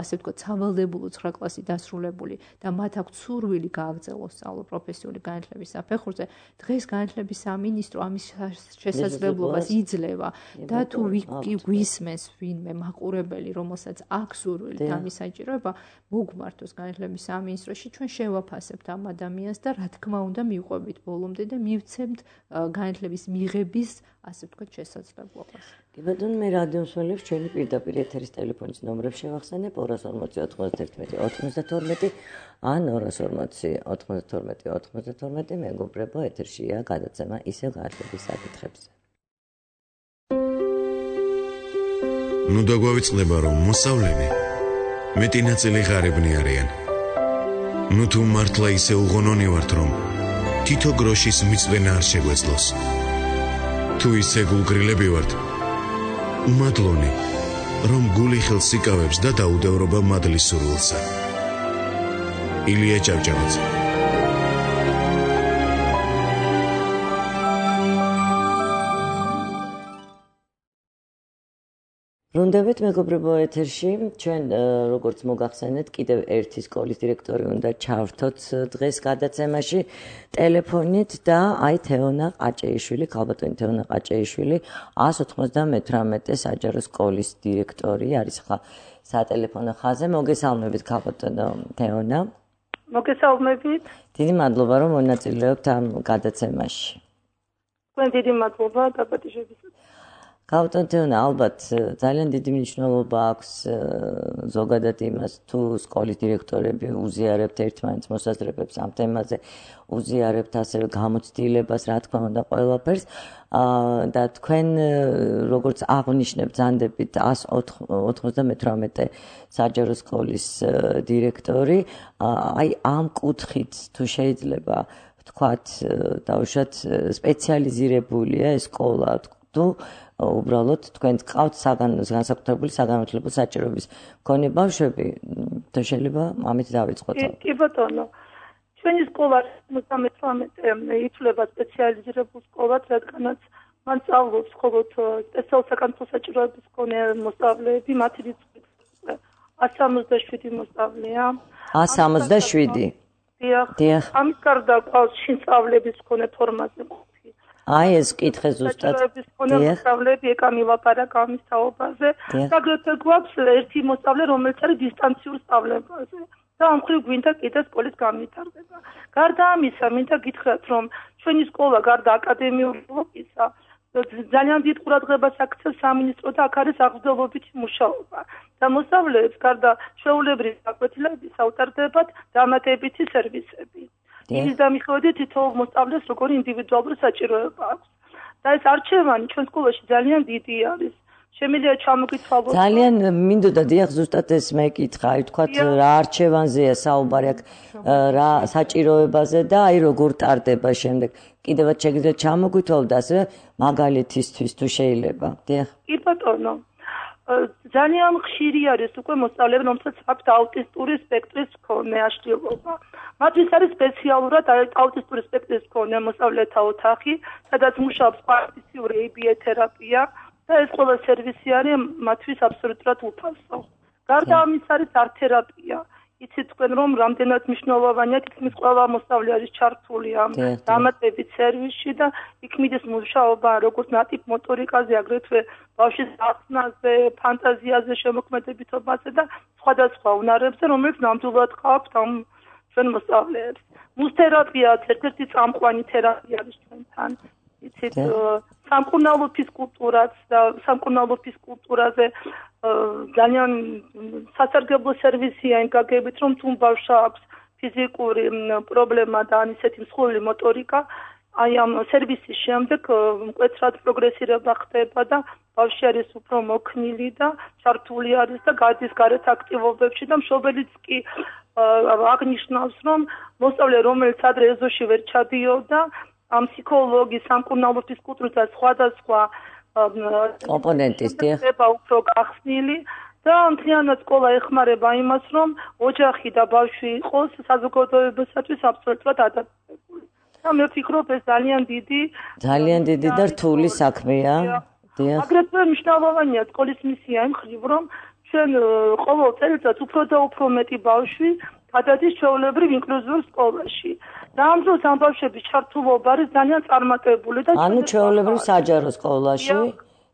ასე ვთქვათ, სავალდებულო ცხრა კლასი დასრულებული და მათ აქვთ სურვილი გააგრძელოს სწავლა პროფესიული განათლების საფეხურზე, დღეს განათლების სამინისტრო ამის შესაძლებლობას იძლევა და თუ გვისმენს ვინმე მაყურებელი, რომელსაც აქვს სურვილი ამის საჭიროება, მოგმართოს განათლების სამინისტროში, ჩვენ შევაფასებთ ამ ადამიანს და რა თქმა უნდა მივყვებით ბოლომდე და მივცემთ განათლების მიღების, ასე ვთქვათ, შესაძლებლობას. კი ბატონო, მე რადიო მსმენელებს ჩვენი პირდაპირ ეთერის ტელეფონის ნომრებს შევახსენებ ორას ორმოცი ოცდაათი ოცდათორმეტი ან ორას ორმოცი ოცდათორმეტი ოცდათორმეტი მეგობრებო, ეთერშია გადაცემა ისევ განათლების საკითხებზე. ნუ დაგვავიწყდება, რომ მოსავლენი მეტი ნაწილი ღარიბნი არიან. ნუ თუ მართლა ისე უღონონი ვართ, რომ თითო გროშის მიწვენა არ შეგვეძლოს. თუ ისე გულგრილები ვართ, უმადლონი, რომ გული ხელს იკავებს და დაუდევრობა მადლის სურვილსა. ილია ჭავჭავაძე. ბრუნდებით მეგობრებო ეთერში, ჩვენ როგორც მოგახსენეთ, კიდევ ერთი სკოლის დირექტორი უნდა ჩავრთოთ დღეს გადაცემაში ტელეფონით და აი თეონა ყაჭეიშვილი, ქალბატონი თეონა ყაჭეიშვილი, ას ოცდამეთვრამეტე საჯარო სკოლის დირექტორი არის ხა სატელეფონო ხაზზე. მოგესალმებით ქალბატონო თეონა. მოგესალმებით. დიდი მადლობა რომ მონაწილეობთ ამ გადაცემაში. თქვენ დიდი მადლობა დაპატიჟებისთვის. ქალბატონო თეონა, ალბათ ძალიან დიდი მნიშვნელობა აქვს ზოგადად იმას, თუ სკოლის დირექტორები უზიარებთ ერთმანეთს მოსაზრებებს ამ თემაზე, უზიარებთ ასევე გამოცდილებას, რა თქმა უნდა, ყველაფერს და თქვენ როგორც აღნიშნებთ, ზანდებით ას ოცდამეთვრამეტე საჯარო სკოლის დირექტორი, აი ამ კუთხით თუ შეიძლება ვთქვათ, დავუშვათ სპეციალიზირებულია ეს სკოლა, თუ უბრალოდ თქვენ გყავთ განსაკუთრებული საგანმანათლებლო საჭიროების მქონე ბავშვები, თუ შეიძლება ამით დავიწყოთ. კი ბატონო, ჩვენი სკოლა ოცდამეთვრამეტე ითვლება სპეციალიზირებულ სკოლად, რადგანაც მან სწავლობს მხოლოდ სპეციალურ საკანონმდებლო საჭიროების მქონე მოსწავლეები, მათი რიცხვი ას სამოცდაშვიდი მოსწავლეა. ას სამოცდაშვიდი. დიახ. ამის გარდა ყავს შინსწავლების მქონე ფორმაზე. აი ეს კითხე ზუსტად. მოსწავლეები ეკამი ლაპარაკ ამის თაობაზე. აგრეთვე გვაქვს ერთი მოსწავლე, რომელიც არის დისტანციურ სწავლებაზე. და ამ მხრივ გვინდა კიდე სკოლის განვითარება. გარდა ამისა, მინდა გითხრათ, რომ ჩვენი სკოლა გარდა აკადემიური ბლოკისა ძალიან დიდ ყურადღებას აქცევს სამინისტრო და აქ არის აღზრდობობითი მუშაობა. და მოსწავლეებს გარდა ჩვეულებრივი გაკვეთილების ავტარდებათ დამატებითი სერვისები. ის დამიხოდით თითოეულ მოსწავლეს როგორი ინდივიდუალური საჭიროება აქვს. და ეს არჩევანი ჩვენ სკოლაში ძალიან დიდი არის. შემიძლია ჩამოგითვალოთ. ძალიან მინდოდა დიახ ზუსტად ეს მეკითხა, აი თქვათ რა არჩევანზეა საუბარი აქ, რა საჭიროებაზე და აი როგორ ტარდება შემდეგ. კიდევაც შეგიძლიათ ჩამოგითვალოთ ასევე მაგალითისთვის თუ შეიძლება. დიახ. კი ბატონო. ძალიან ხშირი არის უკვე მოსწავლეები, რომელსაც აქვთ აუტისტური სპექტრის მქონე აშლილობა. მათთვის არის სპეციალურად აუტისტური სპექტრის მქონე მოსწავლეთა ოთახი, სადაც მუშაობს პარტიციური ეი ბი ე თერაპია და ეს ყველა სერვისი არის მათთვის აბსოლუტურად უფასო. გარდა ამისა არის არტ თერაპია. იცით თქვენ რომ რამდენად მნიშვნელოვანია თითქმის ყველა მოსწავლე არის ჩართული ამ დამატებით სერვისში და იქ მიდის მუშაობა როგორც ნატიფ მოტორიკაზე, აგრეთვე ბავშვის ახსნაზე, ფანტაზიაზე, შემოქმედებითობაზე და სხვადასხვა უნარებზე, რომელიც ნამდვილად ყავთ ამ ჩვენ მოსწავლეებს. მუსთერაპიაც ერთ-ერთი წამყვანი თერაპია არის ჩვენთან. იცით სამკურნალო ფიზკულტურაც და სამკურნალო ფიზკულტურაზე ძალიან სასარგებლო სერვისია იმ გაგებით, რომ თუ ბავშვს აქვს ფიზიკური პრობლემა და ან ისეთი მსხვილი მოტორიკა, აი ამ სერვისის შემდეგ მკვეთრად პროგრესირება ხდება და ბავშვი არის უფრო მოქნილი და ჩართული არის და გადის გარეთ აქტივობებში და მშობელიც კი აღნიშნავს, რომ მოსწავლე, რომელიც ადრე ეზოში ვერ ჩადიოდა, ამ ფსიქოლოგის, სამკურნალო ფიზკულტურის და სხვადასხვა კომპონენტის ხდება უფრო გახსნილი და მთლიანად სკოლა ეხმარება იმას, რომ ოჯახი და ბავშვი იყოს საზოგადოებისათვის აბსოლუტურად ადაპტირებული. და მე ვფიქრობ, ეს ძალიან დიდი ძალიან დიდი და რთული საქმეა. აგრეთვე მნიშვნელოვანია სკოლის მისია იმ ხრივ, რომ ჩვენ ყოველ წელიწადს უფრო და უფრო მეტი ბავშვი გადადის ჩვეულებრივ ინკლუზიურ სკოლაში. და ამ დროს ამ ბავშვების ჩართულობა არის ძალიან წარმატებული და ანუ ჩვეულებრივ საჯარო სკოლაში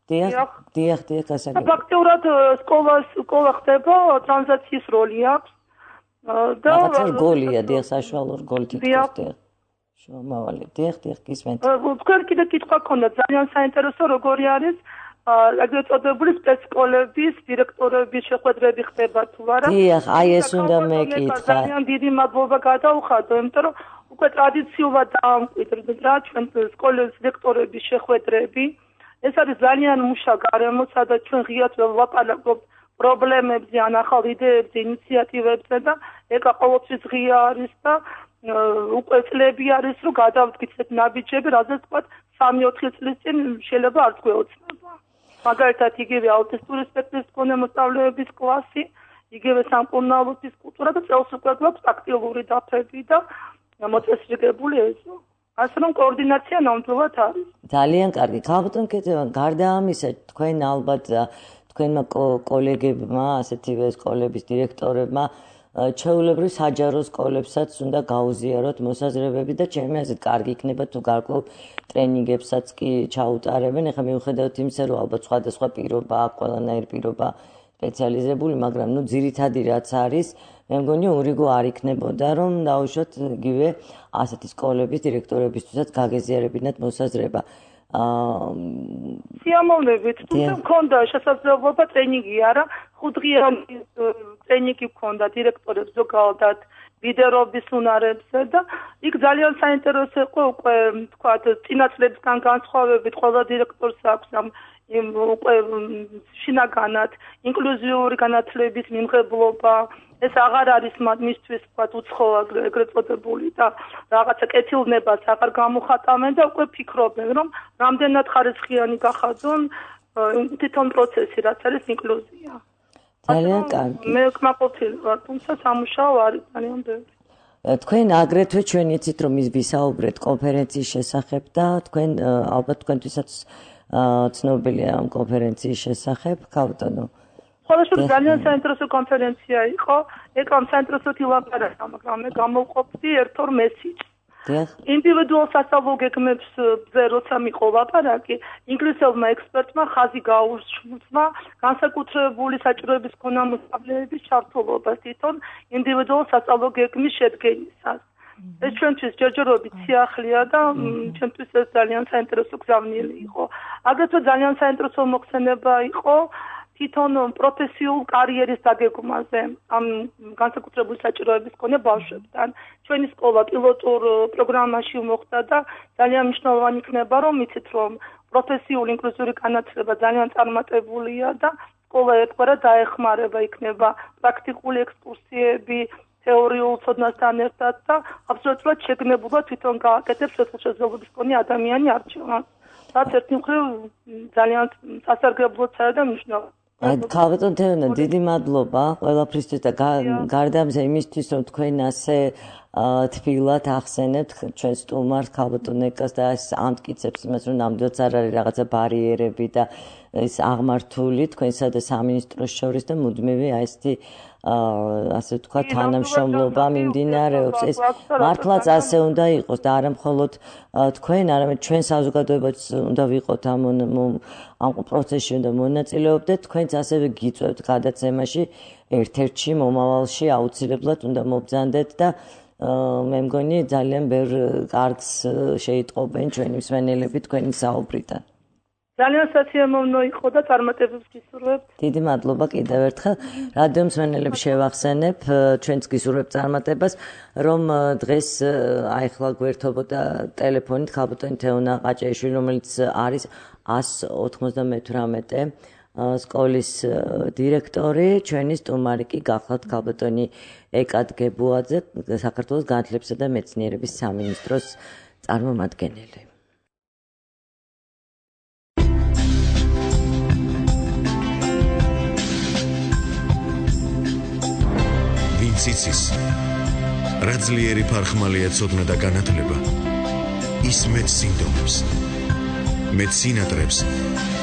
დიახ დიახ დიახ გასაგებია. ფაქტობრივად სკოლას სკოლა ხდება ტრანზიციის როლი აქვს და რაღაცა რგოლია დიახ საშუალო რგოლი თითქოს დიახ შუამავალი დიახ დიახ გისმენთ. თქვენ კიდე კითხვა გქონდა ძალიან საინტერესო როგორი არის აგრეთ წოდებული სპეცსკოლების დირექტორების შეხვედრები ხდება თუ არა? დიახ, აი ეს უნდა მეკითხა. ძალიან დიდი მადლობა გადაუხადო, იმიტომ რომ უკვე ტრადიციულად დაამკვიდრეთ რა ჩვენ სკოლის დირექტორების შეხვედრები. ეს არის ძალიან მუშა გარემო, სადაც ჩვენ ღიად ვლაპარაკობთ პრობლემებზე, ან ახალ იდეებზე, ინიციატივებზე და ეკა ყოველთვის ღია არის და უკვე წლები არის, რომ გადავდგეთ ნაბიჯები, რაზეც თქვა სამი-ოთხი წლის წინ შეიძლება არც გვეოცნება. მაგალითად, იგივე აუტისტური სპექტრის მქონე მოსწავლეების კლასი, იგივე სამკურნალო ფიზკულტურა და წელს უკვე გვაქვს ტაქტილური დაფები და მოწესრიგებული ეზო. ასე რომ კოორდინაცია ნამდვილად არის. ძალიან კარგი. ქალბატონ კეთევან, გარდა ამისა, თქვენ ალბათ თქვენმა კოლეგებმა, ასეთივე სკოლების დირექტორებმა ჩვეულებრივ საჯარო სკოლებსაც უნდა გაუზიაროთ მოსაზრებები და ჩემი აზრით კარგი იქნება თუ გარკვეულ ტრენინგებსაც კი ჩაუტარებენ. ეხლა მიუხედავად იმისა, რომ ალბათ სხვადასხვა პირობა აქვს, ყველანაირი პირობა სპეციალიზებული, მაგრამ ნუ ძირითადი რაც არის, მე მგონი ურიგო არ იქნებოდა, რომ დაუშვათ იგივე ასეთი სკოლების დირექტორებისთვისაც გაგეზიარებინათ მოსაზრება. სიამოვნებით, თუმცა მქონდა შესაძლებლობა ტრენინგი არა, ხუთდღიანი ტრენინგი მქონდა დირექტორებს ზოგადად ლიდერობის უნარებზე და იქ ძალიან საინტერესო იყო უკვე თქვათ წინა წლებსგან განსხვავებით ყველა დირექტორს აქვს ამ უკვე შინაგანად ინკლუზიური განათლების მიმღებლობა. ეს აღარ არის მისთვის თქვათ უცხოა ეგრეთ წოდებული და რაღაცა კეთილნებას აღარ გამოხატავენ და უკვე ფიქრობენ რომ რამდენად ხარისხიანი გახადონ თვითონ პროცესი რაც არის ინკლუზია. ძალიან კარგი. მე კმაყოფილი ვარ, თუმცა სამუშაო არის ძალიან ბევრი. თქვენ აგრეთვე ჩვენ იცით რომ ის ვისაუბრეთ კონფერენციის შესახებ და თქვენ ალბათ თქვენთვისაც ცნობილია ამ კონფერენციის შესახებ, ქალბატონო. ხოლმე ძალიან საინტერესო კონფერენცია იყო, ეგ ამ საინტერესო ილაპარაკა, მაგრამ მე გამოვყოფდი ერთ-ორ მესიჯს. ინდივიდუალ სასწავლო გეგმებზე როცა მიყო ლაპარაკი, ინგლისელმა ექსპერტმა ხაზი გაუსწრა განსაკუთრებული საჭიროების მქონე მოსწავლეების ჩართულობას თვითონ ინდივიდუალ სასწავლო გეგმის შედგენისას. ეს ჩვენთვის ჯერჯერობით სიახლეა და ჩვენთვის ეს ძალიან საინტერესო გზავნილი იყო. აგრეთვე ძალიან საინტერესო მოხსენება იყო თვითონ პროფესიულ კარიერის დაგეგმვაზე ამ განსაკუთრებული საჭიროების მქონე ბავშვებთან. ჩვენი სკოლა პილოტურ პროგრამაში მოხვდა და ძალიან მნიშვნელოვანი იქნება რომ იცით რომ პროფესიული ინკლუზიური განათლება ძალიან წარმატებულია და სკოლა ერთგვარად დაეხმარება იქნება პრაქტიკული ექსკურსიები თეორიულ ცოდნასთან ერთად და აბსოლუტურად შეგნებულად თვითონ გააკეთებს შესაძლებლობის მქონე ადამიანი არჩევას. რაც ერთი მხრივ ძალიან სასარგებლოა და მნიშვნელოვანია. ქალბატონ თევანა, დიდი მადლობა ყველაფრისთვის და გარდა ამისა იმისთვის, რომ თქვენ ასე თბილად ახსენებთ ჩვენ სტუმარს ქალბატონეკას და ეს ამტკიცებს იმას, რომ ნამდვილად არ არის რაღაცა ბარიერები და ეს აღმართული თქვენსა და სამინისტროს შორის და მუდმივი აი ესეთი ასე ვთქვა თანამშრომლობა მიმდინარეობს. ეს მართლაც ასე უნდა იყოს და არა მხოლოდ თქვენ, არამედ ჩვენ საზოგადოებაც უნდა ვიყოთ ამ ამ პროცესში უნდა მონაწილეობდეთ, თქვენც ასევე გიწევთ გადაცემაში ერთ-ერთში მომავალში აუცილებლად უნდა მობრძანდეთ და მე მგონი ძალიან ბევრ კარგს შეიტყობენ ჩვენი მსმენელები თქვენი საუბრიდან. ძალიან სათემოვნო იყო და წარმატებებს გისურვებთ. დიდი მადლობა კიდევ ერთხელ. რადიო მსმენელებს შევახსენებ, ჩვენც გისურვებთ წარმატებას, რომ დღეს აიხლა გვერდობოდა ტელეფონით ქალბატონი თეონა ყაჭეიშვილი, რომელიც არის ას ოთხმოცდამეთვრამეტე სკოლის დირექტორი, ჩვენი სტუმარი კი გახლავთ ქალბატონი ეკად გებუაძე, საქართველოს განათლებისა და მეცნიერების სამინისტროს წარმომადგენელი. ციცის რა ძლიერი ფარხმალია ცოდნა და განათლება ის მეც სინდომებს მეც სინატრებს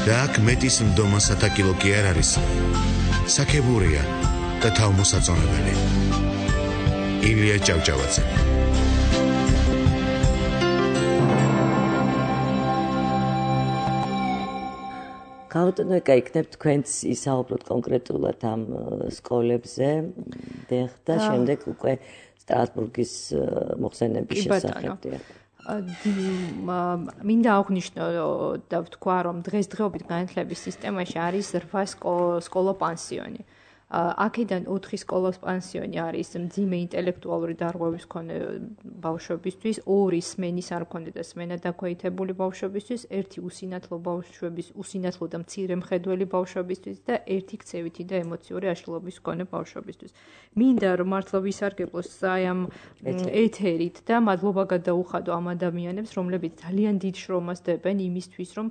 და აქ მეტის მდომა სათაკილო კი არ არის საქებურია და თავმოსაწონებელი ილია ჭავჭავაძე ქალბატონო ეკა იქნებ თქვენც ისაუბროთ კონკრეტულად ამ სკოლებზე და შემდეგ უკვე სტრასბურგის მოხსენების შესახებ. მინდა აღვნიშნო და ვთქვა, რომ დღესდღეობით განათლების სისტემაში არის რვა სკოლა პანსიონი. აქედან ოთხი სკოლის პანსიონი არის მძიმე ინტელექტუალური დარღვევის მქონე ბავშვებისთვის, ორი სმენის არ მქონე და სმენა დაქვეითებული ბავშვებისთვის, ერთი უსინათლო ბავშვების, უსინათლო და მცირე მხედველი ბავშვებისთვის და ერთი ქცევითი და ემოციური აშლილობის მქონე ბავშვებისთვის. მინდა რომ მართლა ვისარგებლოს აი ამ ეთერით და მადლობა გადაუხადო ამ ადამიანებს, რომლებიც ძალიან დიდ შრომას დებენ იმისთვის, რომ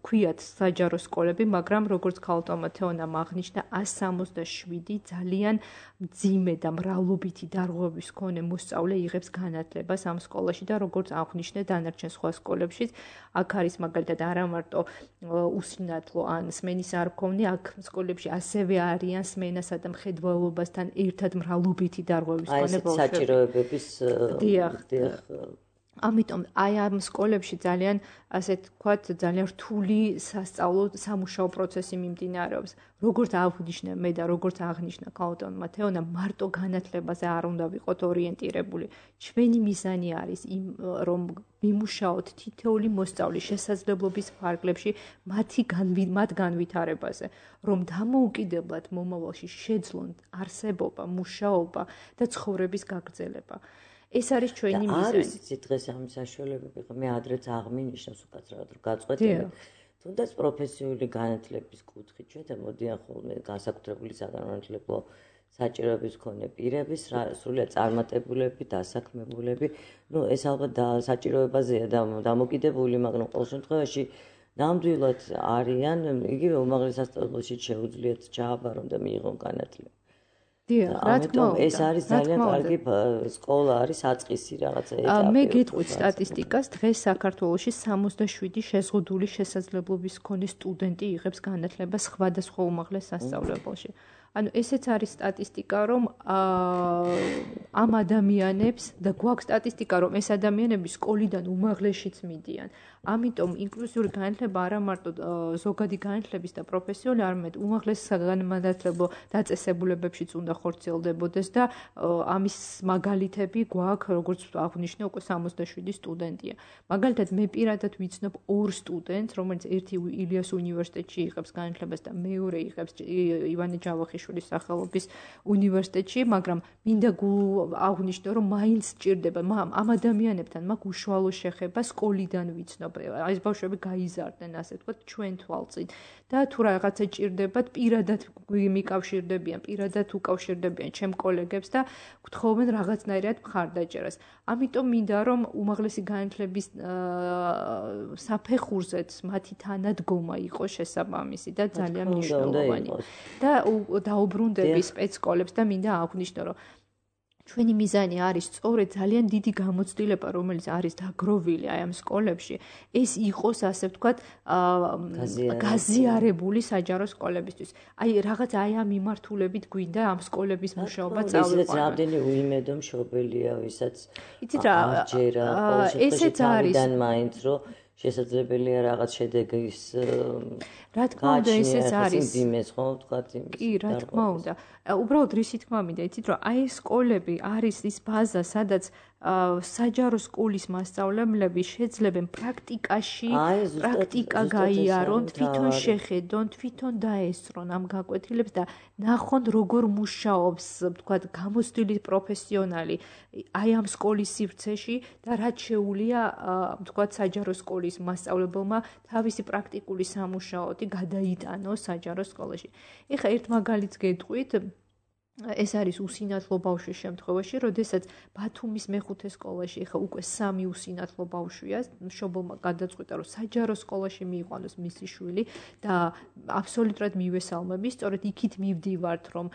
ქვიათ საჯარო სკოლები, მაგრამ როგორც ქალბატონმა თეონამ აღნიშნა, სამოცდაშვიდი ძალიან მძიმე და მრავლობითი დარღვევის მქონე მოსწავლე იღებს განათლებას ამ სკოლაში და როგორც აღნიშნე დანარჩენ სხვა სკოლებშიც აქ არის მაგალითად არა მარტო უსინათლო ან სმენის არ მქონე, აქ სკოლებში ასევე არიან სმენასა და მხედველობასთან ერთად მრავლობითი დარღვევის მქონე ბავშვები. აი ეს საჭიროებების დიახ. ამიტომ აი ამ სკოლებში ძალიან ასე თქვათ ძალიან რთული სასწავლო სამუშაო პროცესი მიმდინარეობს. როგორც აღნიშნე მე და როგორც აღნიშნა ქალბატონმა თეონამ, მარტო განათლებაზე არ უნდა ვიყოთ ორიენტირებული. ჩვენი მიზანი არის იმ რომ ვიმუშაოთ თითოეული მოსწავლის შესაძლებლობის ფარგლებში მათი მათ განვითარებაზე, რომ დამოუკიდებლად მომავალში შეძლონ არსებობა, მუშაობა და ცხოვრების გაგრძელება. ეს არის ჩვენი მიზანი. არის იცი დღეს ამ საშუალებები, მე ადრეც აღმინიშნავს უკაცრავად რომ გაწყვეტილებ. თუნდაც პროფესიული განათლების კუთხით ჩვენ მოდიან ხოლმე განსაკუთრებული საგანმანათლებლო საჭიროების მქონე პირების, სრულიად წარმატებულები, დასაქმებულები. ნუ ეს ალბათ საჭიროებაზეა დამოკიდებული, მაგრამ ყოველ შემთხვევაში ნამდვილად არიან, იგივე უმაღლეს სასწავლებელში შეუძლიათ ჩააბარონ და მიიღონ განათლება. დიახ, რა თქმა უნდა. ეს არის ძალიან კარგი სკოლა, არის აწყისი რაღაცა ეტაპი. მე გეტყვით სტატისტიკას, დღეს საქართველოში სამოცდაშვიდი შეზღუდული შესაძლებლობის მქონე სტუდენტი იღებს განათლებას სხვადასხვა უმაღლეს სასწავლებელში. ანუ ესეც არის სტატისტიკა, რომ ამ ადამიანებს და გვაქვს სტატისტიკა, რომ ეს ადამიანები სკოლიდან უმაღლესშიც მიდიან. ამიტომ ინკლუზიური განათლება არა მარტო ზოგადი განათლების და პროფესიული, არამედ უმაღლეს საგანმანათლებლო დაწესებულებებშიც უნდა ხორციელდებოდეს და ამის მაგალითები გვაქვს, როგორც აღნიშნე, უკვე სამოცდაშვიდი სტუდენტია. მაგალითად, მე პირადად ვიცნობ ორ სტუდენტს, რომელიც ერთი ილიას უნივერსიტეტში იღებს განათლებას და მეორე იღებს ივანე ჯავახიშვილის სახელობის უნივერსიტეტში, მაგრამ მინდა აღნიშნო, რომ მაინც სჭირდება ამ ადამიანებთან მაქვს უშუალო შეხება სკოლიდან ვიცნობ. ეს ბავშვები გაიზარდნენ, ასე ვთქვათ, ჩვენ თვალწინ და თუ რაღაცა ჭირდებათ, პირადად მიკავშირდებიან, პირადად უკავშირდებიან ჩემ კოლეგებს და გთხოვენ რაღაცნაირად მხარდაჭერას. ამიტომ მინდა რომ უმაღლესი განათლების საფეხურზეც მათი თანადგომა იყოს შესაბამისი და ძალიან მნიშვნელოვანი. და დაუბრუნდები სპეცსკოლებს და მინდა აღვნიშნო, რომ ჩვენი მიზანი არის სწორედ ძალიან დიდი გამოცდილება, რომელიც არის დაგროვილი აი ამ სკოლებში, ეს იყოს, ასე ვთქვათ, გაზიარებული საჯარო სკოლებისთვის. აი რაღაც აი ამ მიმართულებით გვინდა ამ სკოლების მუშაობა წავიყვანოთ. ისიც რამდენი უიმედო მშობელია, ვისაც იცით რა, ესეც არის მაინც რომ შესაძლებელია რაღაც შედეგის რა თქმა უნდა ესეც არის იმეს ხო ვთქვათ იმის კი რა თქმა უნდა უბრალოდ რისი თქმა მინდა იცით რომ აი ეს სკოლები არის ის ბაზა სადაც საჯარო სკოლის მასწავლებლები შეძლებენ პრაქტიკაში პრაქტიკა გაიარონ თვითონ შეხედონ თვითონ დაესწრონ ამ გაკვეთილებს და ნახონ როგორ მუშაობს ვთქვათ გამოცდილი პროფესიონალი აი ამ სკოლის სივრცეში და რაც შეუძლია ვთქვათ საჯარო სკოლის მასწავლებელმა თავისი პრაქტიკული სამუშაოთი გადაიტანოს საჯარო სკოლაში. ეხლა ერთ მაგალითს გეტყვით ეს არის უსინათლო ბავშვის შემთხვევაში, როდესაც ბათუმის მეხუთე სკოლაში ეხა უკვე სამი უსინათლო ბავშვია, მშობელმა გადაწყვიტა, რომ საჯარო სკოლაში მიიყვანოს მისი შვილი და აბსოლუტურად მივესალმები, სწორედ იქით მივდივართ, რომ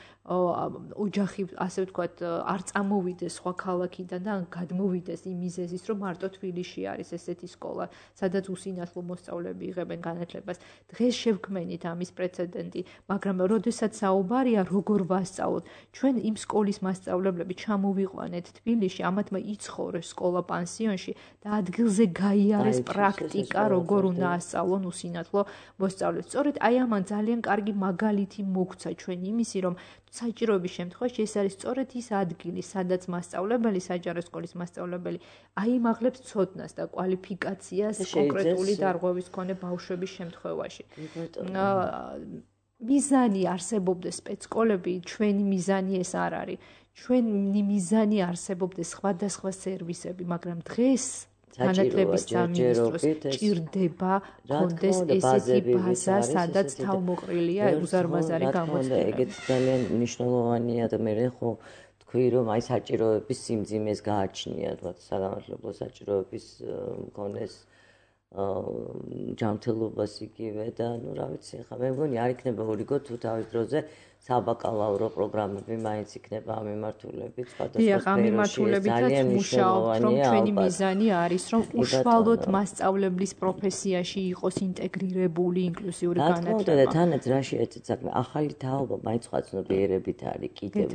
ოჯახი, ასე ვთქვათ, არ წამოვიდეს სხვა ქალაქიდან და გადმოვიდეს იმ მიზეზის, რომ მარტო თბილისში არის ესეთი სკოლა, სადაც უსინათლო მოსწავლეები იღებენ განათლებას. დღეს შევქმენით ამის პრეცედენტი, მაგრამ როდესაც საუბარია როგორ ვასწავლოთ ჩვენ იმ სკოლის მასწავლებლები ჩამოვიყვანეთ თბილისში, ამათმა იცხოვრეს სკოლა პანსიონში და ადგილზე გაიარეს პრაქტიკა, როგორ უნდა ასწავლონ უსინათლო მოსწავლეს. სწორედ აი ამან ძალიან კარგი მაგალითი მოგცა ჩვენ იმისი, რომ საჭიროების შემთხვევაში ეს არის სწორედ ის ადგილი, სადაც მასწავლებელი, საჯარო სკოლის მასწავლებელი აიმაღლებს ცოდნას და კვალიფიკაციას კონკრეტული დარღვევის მქონე ბავშვების შემთხვევაში. მიზანი არსებობდეს სპეცსკოლები, ჩვენი მიზანი ეს არ არის. ჩვენი მიზანი არსებობდეს სხვადასხვა სერვისები, მაგრამ დღეს განათლების სამინისტროს ჭირდება კონდეს ესეთი ბაზა, სადაც თავმოყრილია უზარმაზარი გამოცდილება. ეგეც ძალიან მნიშვნელოვანია და მე ხო თქვი რომ აი საჭიროების სიმძიმეს გააჩნია, თქვა საგანმანათლებლო საჭიროების მქონეს ჯანმრთელობას იგივე და ნუ რა ვიცი ხა მე მგონი არ იქნება ორიგო თუ თავის დროზე საბაკალავრო პროგრამები მაინც იქნება ამ მიმართულებით სხვადასხვა მიმართულებითაც მუშაობთ რომ ჩვენი მიზანი არის რომ უშუალოდ მასწავლებლის პროფესიაში იყოს ინტეგრირებული ინკლუზიური განათლება და თანაც რა შეეცეთ საქმე ახალი თაობა მაინც სხვა ცნობიერებით არის კიდევ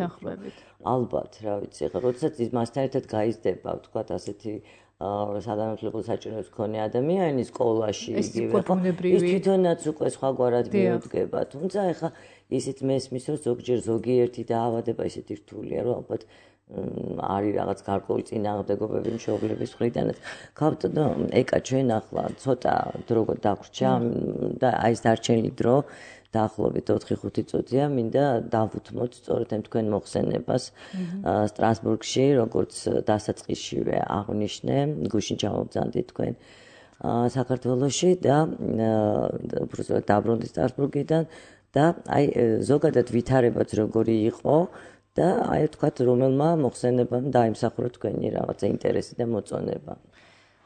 ალბათ რა ვიცი ხა როდესაც მასთან ერთად გაიზრდება ვთქვათ ასეთი საგანმანათლებლო საჭიროების მქონე ადამიანი სკოლაში იგივე ის თვითონაც უკვე სხვაგვარად მიუდგება თუმცა ეხა ისიც მესმის რომ ზოგჯერ ზოგიერთი დაავადება ისეთი რთულია რომ ალბათ არის რაღაც გარკვეული წინააღმდეგობები მშობლების მხრიდანაც გავთო ეკა ჩვენ ახლა ცოტა დრო დაგვრჩა და აი ეს დარჩენილი დრო დაახლოებით ოთხი ხუთი წუთია მინდა დავუთმოთ სწორედ ამ თქვენ მოხსენებას სტრასბურგში როგორც დასაწყისშივე აღნიშნე გუშინ ჩამოვძანდით თქვენ საქართველოში და უბრალოდ დაბრუნდი სტრასბურგიდან და აი ზოგადად ვითარებაც როგორი იყო და აი თქვათ რომელმა მოხსენებამ დაიმსახურა თქვენი რაღაცა ინტერესი და მოწონება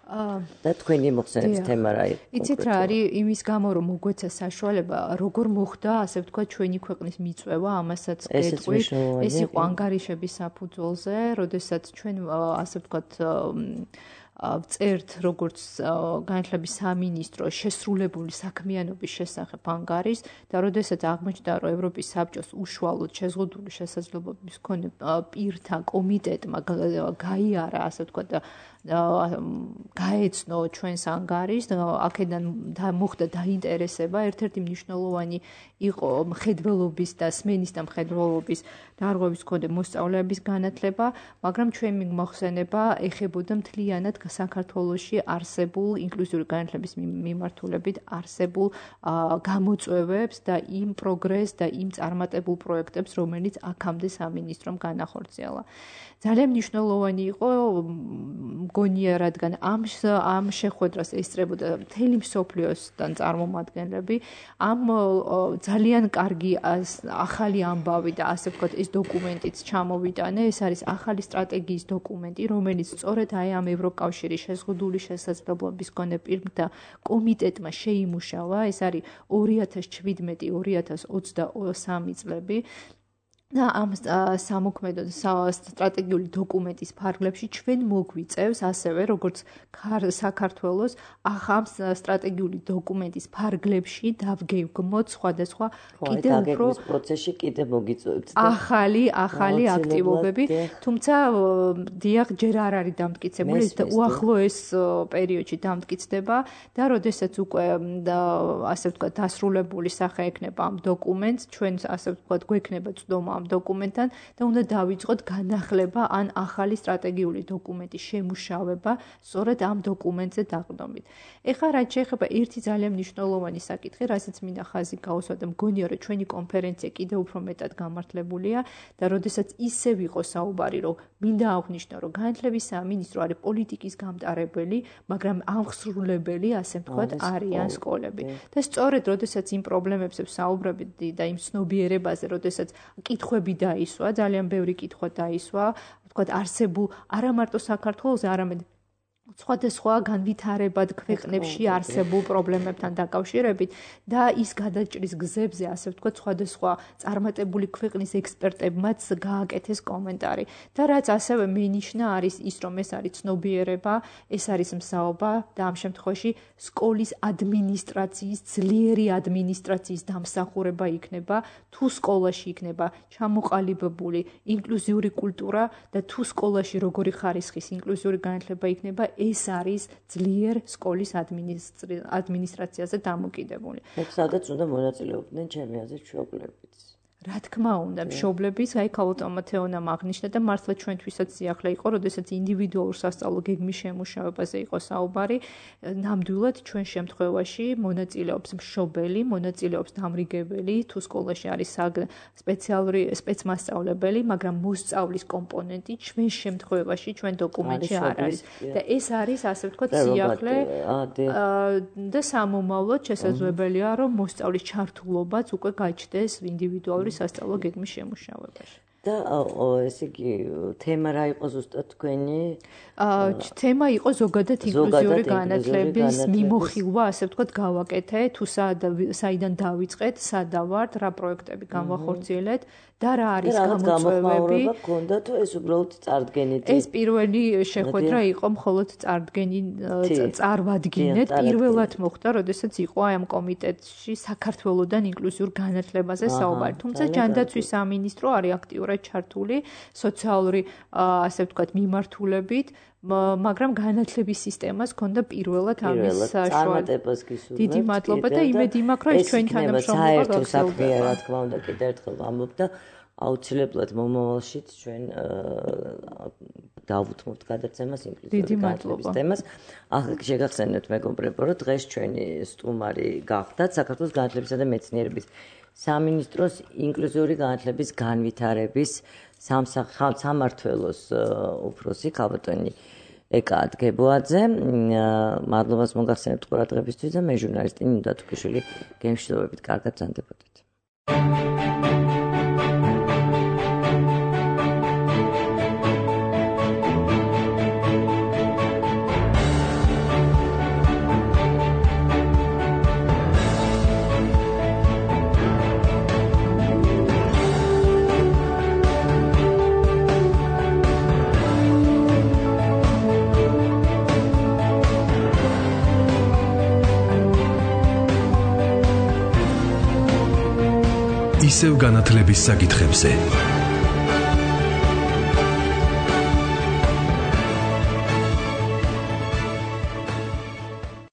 და თქვენი მოხსენების თემა რა იყო? იცით რა არის იმის გამო რომ მოგვეცა საშუალება როგორ მოხდა ასე ვთქვათ ჩვენი ქვეყნის მიწვევა ამასაც გეტყვით ეს იყო ანგარიშების საფუძველზე როდესაც ჩვენ ასე ვთქვათ წერთ როგორც განათლების სამინისტრო შესრულებული საქმიანობის შესახებ ანგარიშს და როდესაც აღმოჩნდა რომ ევროპის საბჭოს უშუალოდ შეზღუდული შესაძლებლობების მქონე პირთა კომიტეტმა გაიარა ასე ვთქვათ გაეცნო ჩვენს ანგარიშს აქედან მოხდა დაინტერესება ერთ-ერთი მნიშვნელოვანი იყო მხედველობის და სმენის და მხედველობის დარღვევის მქონე მოსწავლეების განათლება მაგრამ ჩვენი მოხსენება ეხებოდა მთლიანად საქართველოში არსებულ ინკლუზიური განათლების მიმართულებით არსებულ გამოწვევებს და იმ პროგრესს და იმ წარმატებულ პროექტებს რომელიც აქამდე სამინისტრომ განახორციელა ძალიან მნიშვნელოვანი იყო მგონია რადგან ამ ამ შეხვედრას ესწრებოდა მთელი მსოფლიოსთან წარმომადგენლები ამ ძალიან კარგი ახალი ამბავი და ასე ვთქვათ ეს დოკუმენტიც ჩამოვიტანე ეს არის ახალი სტრატეგიის დოკუმენტი რომელიც სწორედ აი ამ ევროკავშირის შეზღუდული შესაძლებლობის მქონე პირთა კომიტეტმა შეიმუშავა ეს არის ორი ათას შვიდმეტი ორი ათას ოცდაოთხ წლები და ამ სამოქმედო სტრატეგიული დოკუმენტის ფარგლებში ჩვენ მოგვიწევს ასევე როგორც საქართველოს ახამ სტრატეგიული დოკუმენტის ფარგლებში დავგეგმოთ სხვადასხვა კიდევ უფრო პროცესში კიდევ მოგიწევთ ახალი ახალი აქტივობები თუმცა დიახ ჯერ არ არის დამტკიცებული ეს უახლოეს პერიოდში დამტკიცდება და როდესაც უკვე ასე ვთქვათ დასრულებული სახე ექნება ამ დოკუმენტს ჩვენ ასე ვთქვათ გვექნება წვდომა ამ დოკუმენტთან და უნდა დავიწყოთ განახლება ან ახალი სტრატეგიული დოკუმენტის შემუშავება სწორედ ამ დოკუმენტზე დაყრდნობით. ეხლა რაც შეეხება ერთი ძალიან მნიშვნელოვანი საკითხი, რასაც მინდა ხაზი გაუსვა და მგონია რომ ჩვენი კონფერენცია კიდევ უფრო მეტად გამართლებულია და როდესაც ისევ იყო საუბარი რომ მინდა აღვნიშნო რომ განათლების სამინისტრო არის პოლიტიკის გამტარებელი, მაგრამ აღსრულებელი ასე ვთქვათ არიან სკოლები. და სწორედ როდესაც იმ პრობლემებზე ვსაუბრობთ და იმ ცნობიერებაზე, როდესაც კითხვები დაისვა, ძალიან ბევრი კითხვა დაისვა, ვთქვათ არსებულ არა მარტო საქართველოს, არამედ სხვადასხვა განვითარებად ქვეყნებში არსებულ პრობლემებთან დაკავშირებით და ის გადაჭრის გზებზე, ასე ვთქვათ, სხვადასხვა წარმატებული ქვეყნის ექსპერტებმაც გააკეთეს კომენტარი. და რაც ასევე მენიშნა არის ის, რომ ეს არის ცნობიერება, ეს არის მსაობა და ამ შემთხვევაში სკოლის ადმინისტრაციის, ძლიერი ადმინისტრაციის დამსახურება იქნება, თუ სკოლაში იქნება ჩამოყალიბებული ინკლუზიური კულტურა და თუ სკოლაში როგორი ხარისხის ინკლუზიური განათლება იქნება, ეს არის ძლიერ სკოლის ადმინისტრაციაზე დამოკიდებული. სადაც უნდა მონაწილეობდნენ ჩემი აზრით მშობლებიც. რა თქმა უნდა, მშობლების, აი ქალბატონ მათეონამ აღნიშნა და მართლა ჩვენთვისაც სიახლე იყო, როდესაც ინდივიდუალურ სასწავლო გეგმის შემუშავებაზე იყო საუბარი, ნამდვილად ჩვენ შემთხვევაში მონაწილეობს მშობელი, მონაწილეობს დამრიგებელი, თუ სკოლაში არის სპეციალური სპეცმასწავლებელი, მაგრამ მოსწავლის კომპონენტი ჩვენ შემთხვევაში ჩვენ დოკუმენტში არ არის. და ეს არის, ასე ვთქვათ, სიახლე და სამომავლოდ შესაძლებელია, რომ მოსწავლის ჩართულობაც უკვე გაჩნდეს ინდივიდუალური სასწავლო გეგმის შემუშავებაში. და ესე იგი თემა რა იყო ზუსტად თქვენი? თემა იყო ზოგადად ინკლუზიური განათლების მიმოხილვა, ასე ვთქვათ, გავაკეთე, თუ საიდან დავიწყეთ, სადა ვართ, რა პროექტები განვახორციელეთ და რა არის გამოწვევები. გქონდა თუ ეს უბრალოდ წარდგენით? ეს პირველი შეხვედრა იყო მხოლოდ წარდგენი წარვადგინეთ. პირველად მოხდა, როდესაც იყო აი ამ კომიტეტში საქართველოსთან ინკლუზიურ განათლებაზე საუბარი. თუმცა ჯანდაცვის სამინისტრო არის აქტიურად ჩართული სოციალური ასე ვთქვათ მიმართულებით, მაგრამ განათლების სისტემას ჰქონდა პირველად ამის წარმატებას გისურვებთ. დიდი მადლობა და იმედი მაქვს, რომ ეს ჩვენი თანამშრომლობა გაგრძელდება. რა თქმა უნდა, კიდევ ერთხელ ვამბობ და აუცილებლად მომავალშიც ჩვენ დავუთმობთ გადაცემას ინკლუზიური განათლების თემას. ახლა შეგახსენებთ მეგობრებო, რომ დღეს ჩვენი სტუმარი გახდათ საქართველოს განათლებისა და მეცნიერების სამინისტროს ინკლუზიური განათლების განვითარების სამმართველოს უფროსი ქალბატონი ეკა ადგებოაძე. მადლობას მოგახსენებთ ყურადღებისთვის და მე ჟურნალისტი ნინო დათუქიშვილი გემშვიდობებით კარგად ბრძანდებოდეთ. ისევ განათლების საკითხებზე